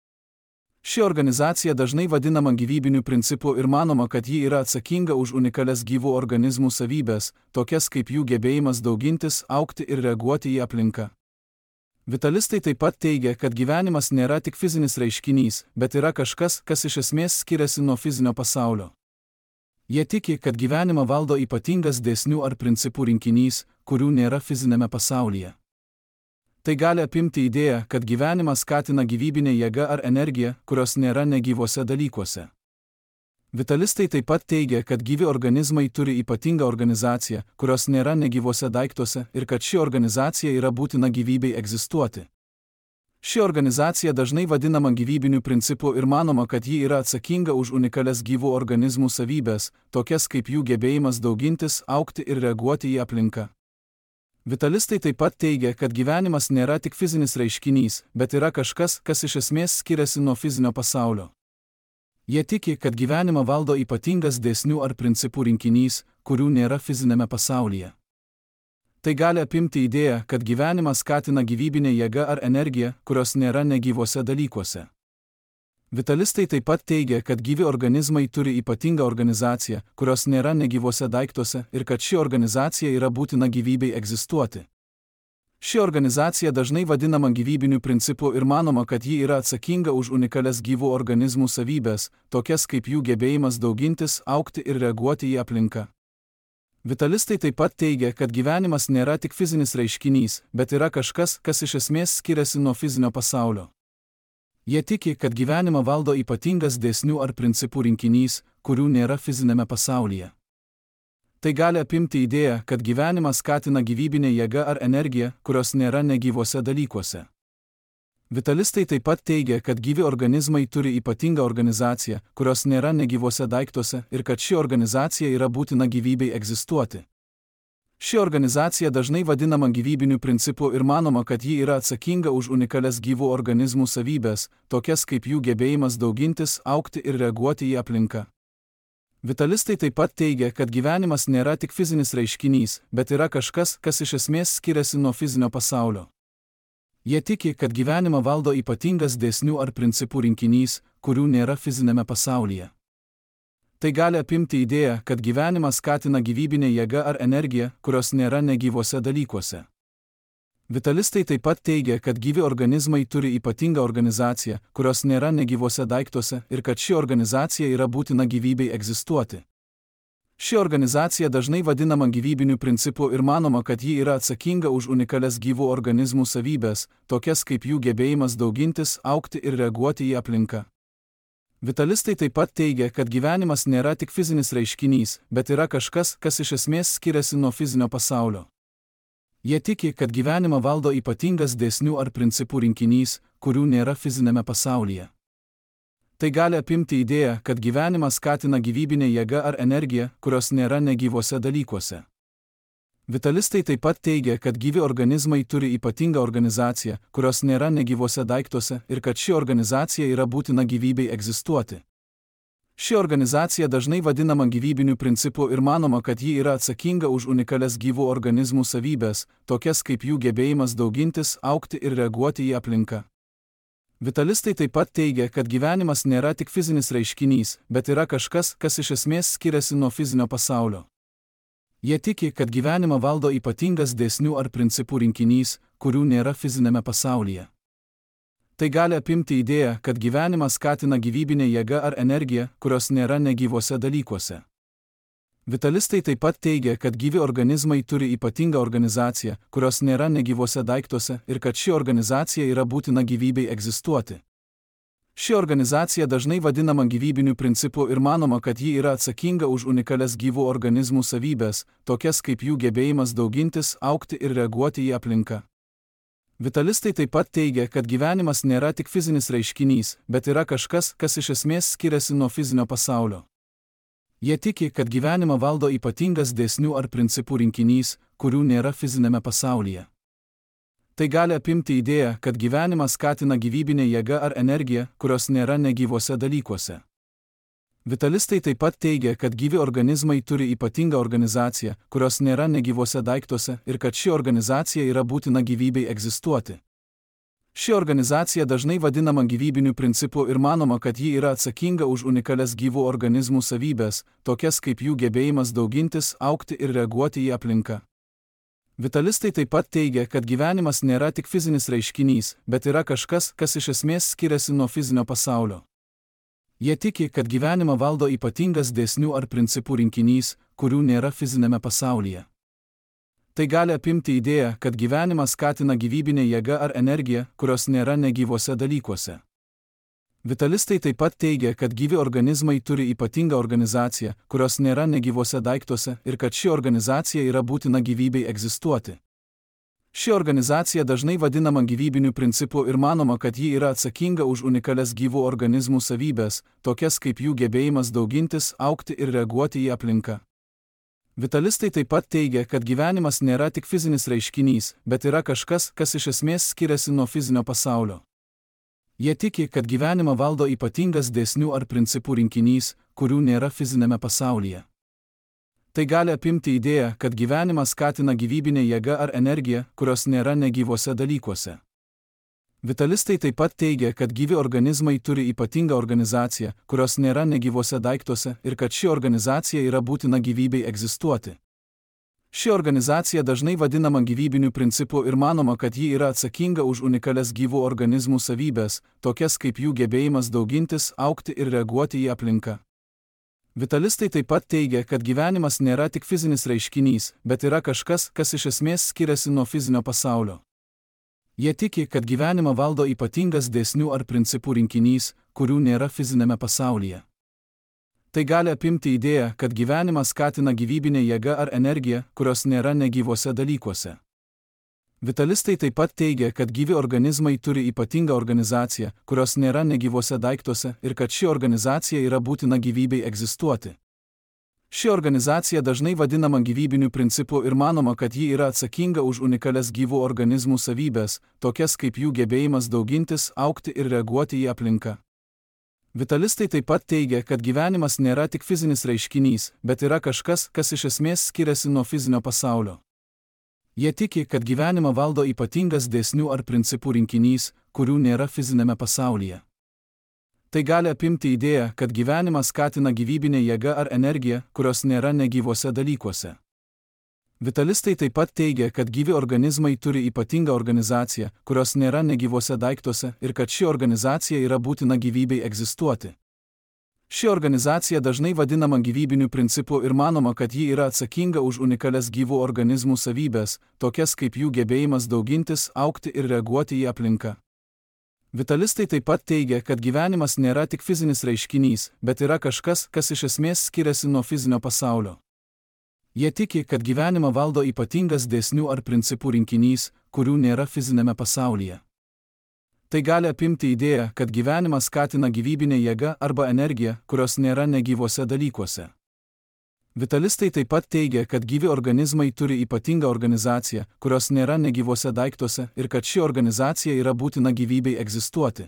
Ši organizacija dažnai vadinama gyvybiniu principu ir manoma, kad ji yra atsakinga už unikalias gyvų organizmų savybės, tokias kaip jų gebėjimas daugintis, augti ir reaguoti į aplinką. Vitalistai taip pat teigia, kad gyvenimas nėra tik fizinis reiškinys, bet yra kažkas, kas iš esmės skiriasi nuo fizinio pasaulio. Jie tiki, kad gyvenimą valdo ypatingas dėsnių ar principų rinkinys, kurių nėra fizinėme pasaulyje. Tai gali apimti idėją, kad gyvenimas skatina gyvybinė jėga ar energija, kurios nėra negyvose dalykuose. Vitalistai taip pat teigia, kad gyvi organizmai turi ypatingą organizaciją, kurios nėra negyvose daiktuose ir kad ši organizacija yra būtina gyvybei egzistuoti. Ši organizacija dažnai vadinama gyvybiniu principu ir manoma, kad ji yra atsakinga už unikalias gyvų organizmų savybės, tokias kaip jų gebėjimas daugintis, augti ir reaguoti į aplinką. Vitalistai taip pat teigia, kad gyvenimas nėra tik fizinis reiškinys, bet yra kažkas, kas iš esmės skiriasi nuo fizinio pasaulio. Jie tiki, kad gyvenimą valdo ypatingas dėsnių ar principų rinkinys, kurių nėra fizinėme pasaulyje. Tai gali apimti idėją, kad gyvenimas skatina gyvybinė jėga ar energija, kurios nėra negyvose dalykuose. Vitalistai taip pat teigia, kad gyvi organizmai turi ypatingą organizaciją, kurios nėra negyvose daiktuose ir kad ši organizacija yra būtina gyvybei egzistuoti. Ši organizacija dažnai vadinama gyvybiniu principu ir manoma, kad ji yra atsakinga už unikalias gyvų organizmų savybės, tokias kaip jų gebėjimas daugintis, augti ir reaguoti į aplinką. Vitalistai taip pat teigia, kad gyvenimas nėra tik fizinis reiškinys, bet yra kažkas, kas iš esmės skiriasi nuo fizinio pasaulio. Jie tiki, kad gyvenimą valdo ypatingas dėsnių ar principų rinkinys, kurių nėra fizinėme pasaulyje. Tai gali apimti idėją, kad gyvenimas skatina gyvybinė jėga ar energija, kurios nėra negyvose dalykuose. Vitalistai taip pat teigia, kad gyvi organizmai turi ypatingą organizaciją, kurios nėra negyvose daiktuose ir kad ši organizacija yra būtina gyvybei egzistuoti. Ši organizacija dažnai vadinama gyvybiniu principu ir manoma, kad ji yra atsakinga už unikalias gyvų organizmų savybės, tokias kaip jų gebėjimas daugintis, augti ir reaguoti į aplinką. Vitalistai taip pat teigia, kad gyvenimas nėra tik fizinis reiškinys, bet yra kažkas, kas iš esmės skiriasi nuo fizinio pasaulio. Jie tiki, kad gyvenimą valdo ypatingas dėsnių ar principų rinkinys, kurių nėra fizinėme pasaulyje. Tai gali apimti idėją, kad gyvenimas skatina gyvybinė jėga ar energija, kurios nėra negyvose dalykuose. Vitalistai taip pat teigia, kad gyvi organizmai turi ypatingą organizaciją, kurios nėra negyvose daiktuose ir kad ši organizacija yra būtina gyvybei egzistuoti. Ši organizacija dažnai vadinama gyvybiniu principu ir manoma, kad ji yra atsakinga už unikalias gyvų organizmų savybes, tokias kaip jų gebėjimas daugintis, augti ir reaguoti į aplinką. Vitalistai taip pat teigia, kad gyvenimas nėra tik fizinis reiškinys, bet yra kažkas, kas iš esmės skiriasi nuo fizinio pasaulio. Jie tiki, kad gyvenimą valdo ypatingas dėsnių ar principų rinkinys, kurių nėra fizinėme pasaulyje. Tai gali apimti idėją, kad gyvenimas skatina gyvybinė jėga ar energija, kurios nėra negyvose dalykuose. Vitalistai taip pat teigia, kad gyvi organizmai turi ypatingą organizaciją, kurios nėra negyvose daiktuose ir kad ši organizacija yra būtina gyvybei egzistuoti. Ši organizacija dažnai vadinama gyvybiniu principu ir manoma, kad ji yra atsakinga už unikalias gyvų organizmų savybes, tokias kaip jų gebėjimas daugintis, augti ir reaguoti į aplinką. Vitalistai taip pat teigia, kad gyvenimas nėra tik fizinis reiškinys, bet yra kažkas, kas iš esmės skiriasi nuo fizinio pasaulio. Jie tiki, kad gyvenimą valdo ypatingas dėsnių ar principų rinkinys, kurių nėra fizinėme pasaulyje. Tai gali apimti idėją, kad gyvenimas skatina gyvybinė jėga ar energija, kurios nėra negyvose dalykuose. Vitalistai taip pat teigia, kad gyvi organizmai turi ypatingą organizaciją, kurios nėra negyvose daiktuose ir kad ši organizacija yra būtina gyvybei egzistuoti. Ši organizacija dažnai vadinama gyvybiniu principu ir manoma, kad ji yra atsakinga už unikalias gyvų organizmų savybes, tokias kaip jų gebėjimas daugintis, augti ir reaguoti į aplinką. Vitalistai taip pat teigia, kad gyvenimas nėra tik fizinis reiškinys, bet yra kažkas, kas iš esmės skiriasi nuo fizinio pasaulio. Jie tiki, kad gyvenimą valdo ypatingas dėsnių ar principų rinkinys, kurių nėra fizinėme pasaulyje. Tai gali apimti idėją, kad gyvenimas skatina gyvybinė jėga ar energija, kurios nėra negyvose dalykuose. Vitalistai taip pat teigia, kad gyvi organizmai turi ypatingą organizaciją, kurios nėra negyvose daiktuose ir kad ši organizacija yra būtina gyvybei egzistuoti. Ši organizacija dažnai vadinama gyvybiniu principu ir manoma, kad ji yra atsakinga už unikalias gyvų organizmų savybes, tokias kaip jų gebėjimas daugintis, augti ir reaguoti į aplinką. Vitalistai taip pat teigia, kad gyvenimas nėra tik fizinis reiškinys, bet yra kažkas, kas iš esmės skiriasi nuo fizinio pasaulio. Jie tiki, kad gyvenimą valdo ypatingas dėsnių ar principų rinkinys, kurių nėra fizinėme pasaulyje. Tai gali apimti idėją, kad gyvenimas skatina gyvybinė jėga ar energija, kurios nėra negyvose dalykuose. Vitalistai taip pat teigia, kad gyvi organizmai turi ypatingą organizaciją, kurios nėra negyvose daiktuose ir kad ši organizacija yra būtina gyvybei egzistuoti. Ši organizacija dažnai vadinama gyvybiniu principu ir manoma, kad ji yra atsakinga už unikalias gyvų organizmų savybes, tokias kaip jų gebėjimas daugintis, augti ir reaguoti į aplinką. Vitalistai taip pat teigia, kad gyvenimas nėra tik fizinis reiškinys, bet yra kažkas, kas iš esmės skiriasi nuo fizinio pasaulio. Jie tiki, kad gyvenimą valdo ypatingas dėsnių ar principų rinkinys, kurių nėra fizinėme pasaulyje. Tai gali apimti idėją, kad gyvenimas skatina gyvybinė jėga ar energija, kurios nėra negyvose dalykuose. Vitalistai taip pat teigia, kad gyvi organizmai turi ypatingą organizaciją, kurios nėra negyvose daiktuose ir kad ši organizacija yra būtina gyvybei egzistuoti. Ši organizacija dažnai vadinama gyvybiniu principu ir manoma, kad ji yra atsakinga už unikalias gyvų organizmų savybes, tokias kaip jų gebėjimas daugintis, augti ir reaguoti į aplinką. Vitalistai taip pat teigia, kad gyvenimas nėra tik fizinis reiškinys, bet yra kažkas, kas iš esmės skiriasi nuo fizinio pasaulio. Jie tiki, kad gyvenimą valdo ypatingas dėsnių ar principų rinkinys, kurių nėra fizinėme pasaulyje. Tai gali apimti idėją, kad gyvenimas skatina gyvybinė jėga ar energija, kurios nėra negyvose dalykuose. Vitalistai taip pat teigia, kad gyvi organizmai turi ypatingą organizaciją, kurios nėra negyvose daiktuose ir kad ši organizacija yra būtina gyvybei egzistuoti. Ši organizacija dažnai vadinama gyvybiniu principu ir manoma, kad ji yra atsakinga už unikalias gyvų organizmų savybes, tokias kaip jų gebėjimas daugintis, augti ir reaguoti į aplinką. Vitalistai taip pat teigia, kad gyvenimas nėra tik fizinis reiškinys, bet yra kažkas, kas iš esmės skiriasi nuo fizinio pasaulio. Jie tiki, kad gyvenimą valdo ypatingas dėsnių ar principų rinkinys, kurių nėra fizinėme pasaulyje. Tai gali apimti idėją, kad gyvenimas skatina gyvybinė jėga ar energija, kurios nėra negyvose dalykuose. Vitalistai taip pat teigia, kad gyvi organizmai turi ypatingą organizaciją, kurios nėra negyvuose daiktuose ir kad ši organizacija yra būtina gyvybei egzistuoti. Ši organizacija dažnai vadinama gyvybiniu principu ir manoma, kad ji yra atsakinga už unikalias gyvų organizmų savybes, tokias kaip jų gebėjimas daugintis, augti ir reaguoti į aplinką. Vitalistai taip pat teigia, kad gyvenimas nėra tik fizinis reiškinys, bet yra kažkas, kas iš esmės skiriasi nuo fizinio pasaulio. Jie tiki, kad gyvenimą valdo ypatingas dėsnių ar principų rinkinys, kurių nėra fizinėme pasaulyje. Tai gali apimti idėją, kad gyvenimą skatina gyvybinė jėga arba energija, kurios nėra negyvuose dalykuose. Vitalistai taip pat teigia, kad gyvi organizmai turi ypatingą organizaciją, kurios nėra negyvuose daiktuose ir kad ši organizacija yra būtina gyvybei egzistuoti.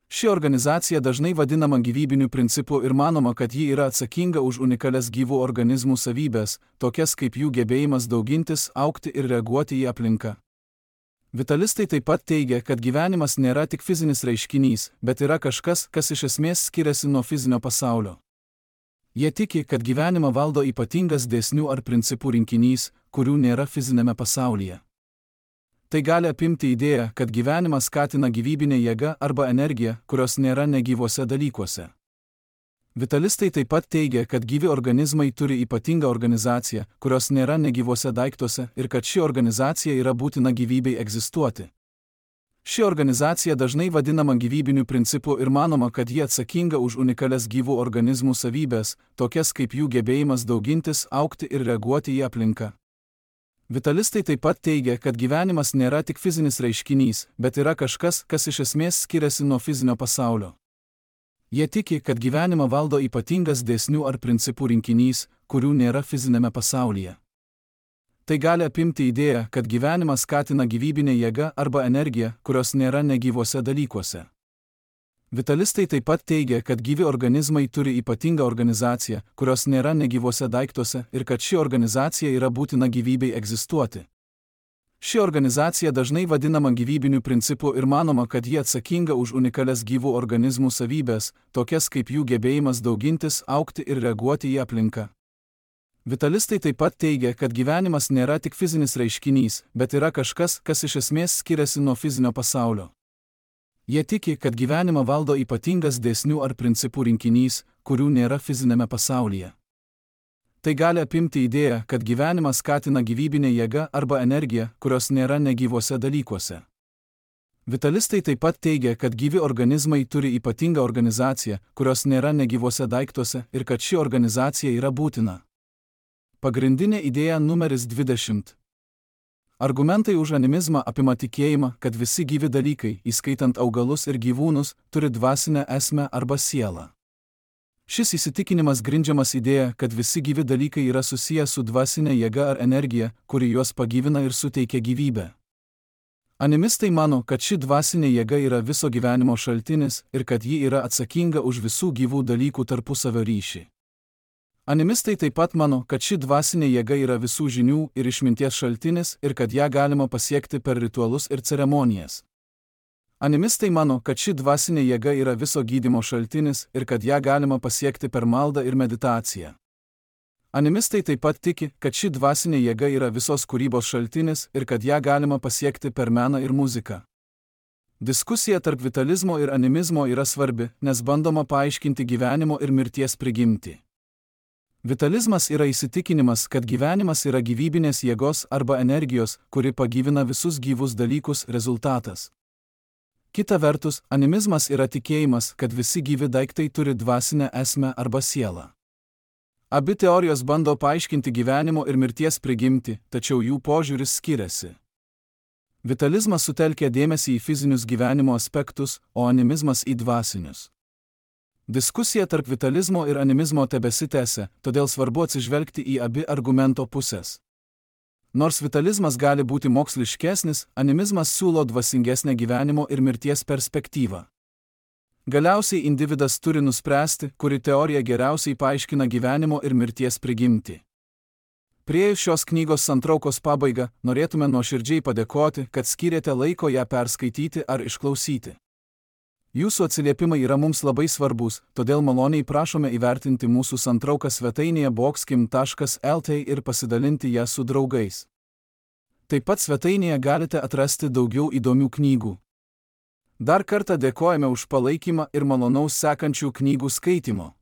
Ši organizacija dažnai vadinama gyvybiniu principu ir manoma, kad ji yra atsakinga už unikalias gyvų organizmų savybes, tokias kaip jų gebėjimas daugintis, augti ir reaguoti į aplinką. Vitalistai taip pat teigia, kad gyvenimas nėra tik fizinis reiškinys, bet yra kažkas, kas iš esmės skiriasi nuo fizinio pasaulio. Jie tiki, kad gyvenimą valdo ypatingas dėsnių ar principų rinkinys, kurių nėra fizinėme pasaulyje. Tai gali apimti idėją, kad gyvenimą skatina gyvybinė jėga arba energija, kurios nėra negyvuose dalykuose. Vitalistai taip pat teigia, kad gyvi organizmai turi ypatingą organizaciją, kurios nėra negyvuose daiktuose ir kad ši organizacija yra būtina gyvybei egzistuoti. Ši organizacija dažnai vadinama gyvybiniu principu ir manoma, kad ji atsakinga už unikalias gyvų organizmų savybes, tokias kaip jų gebėjimas daugintis, augti ir reaguoti į aplinką. Vitalistai taip pat teigia, kad gyvenimas nėra tik fizinis reiškinys, bet yra kažkas, kas iš esmės skiriasi nuo fizinio pasaulio. Jie tiki, kad gyvenimą valdo ypatingas dėsnių ar principų rinkinys, kurių nėra fizinėme pasaulyje. Tai gali apimti idėją, kad gyvenimą skatina gyvybinė jėga arba energija, kurios nėra negyvuose dalykuose. Vitalistai taip pat teigia, kad gyvi organizmai turi ypatingą organizaciją, kurios nėra negyvuose daiktuose ir kad ši organizacija yra būtina gyvybei egzistuoti. Ši organizacija dažnai vadinama gyvybiniu principu ir manoma, kad ji atsakinga už unikalias gyvų organizmų savybes, tokias kaip jų gebėjimas daugintis, augti ir reaguoti į aplinką. Vitalistai taip pat teigia, kad gyvenimas nėra tik fizinis reiškinys, bet yra kažkas, kas iš esmės skiriasi nuo fizinio pasaulio. Jie tiki, kad gyvenimą valdo ypatingas dėsnių ar principų rinkinys, kurių nėra fizinėme pasaulyje. Tai gali apimti idėją, kad gyvenimą skatina gyvybinė jėga arba energija, kurios nėra negyvuose dalykuose. Vitalistai taip pat teigia, kad gyvi organizmai turi ypatingą organizaciją, kurios nėra negyvuose daiktuose ir kad ši organizacija yra būtina. Pagrindinė idėja numeris 20. Argumentai už animizmą apima tikėjimą, kad visi gyvi dalykai, įskaitant augalus ir gyvūnus, turi dvasinę esmę arba sielą. Šis įsitikinimas grindžiamas idėja, kad visi gyvi dalykai yra susiję su dvasinė jėga ar energija, kuri juos pagyvina ir suteikia gyvybę. Animistai mano, kad ši dvasinė jėga yra viso gyvenimo šaltinis ir kad ji yra atsakinga už visų gyvų dalykų tarpusavio ryšį. Animistai taip pat mano, kad ši dvasinė jėga yra visų žinių ir išminties šaltinis ir kad ją galima pasiekti per ritualus ir ceremonijas. Animistai mano, kad ši dvasinė jėga yra viso gydymo šaltinis ir kad ją galima pasiekti per maldą ir meditaciją. Animistai taip pat tiki, kad ši dvasinė jėga yra visos kūrybos šaltinis ir kad ją galima pasiekti per meną ir muziką. Diskusija tarp vitalizmo ir animizmo yra svarbi, nes bandoma paaiškinti gyvenimo ir mirties prigimtį. Vitalizmas yra įsitikinimas, kad gyvenimas yra gyvybinės jėgos arba energijos, kuri pagyvina visus gyvus dalykus rezultatas. Kita vertus, animizmas yra tikėjimas, kad visi gyvi daiktai turi dvasinę esmę arba sielą. Abi teorijos bando paaiškinti gyvenimo ir mirties prigimtį, tačiau jų požiūris skiriasi. Vitalizmas sutelkia dėmesį į fizinius gyvenimo aspektus, o animizmas į dvasinius. Diskusija tarp vitalizmo ir animizmo tebesitęsia, todėl svarbu atsižvelgti į abi argumento pusės. Nors vitalizmas gali būti moksliškesnis, animizmas siūlo dvasingesnę gyvenimo ir mirties perspektyvą. Galiausiai individas turi nuspręsti, kuri teorija geriausiai paaiškina gyvenimo ir mirties prigimtį. Priėjus šios knygos santraukos pabaigą, norėtume nuoširdžiai padėkoti, kad skyrėte laiko ją perskaityti ar išklausyti. Jūsų atsiliepimai yra mums labai svarbus, todėl maloniai prašome įvertinti mūsų santrauką svetainėje boxkim.lt ir pasidalinti ją su draugais. Taip pat svetainėje galite atrasti daugiau įdomių knygų. Dar kartą dėkojame už palaikymą ir malonaus sekančių knygų skaitymo.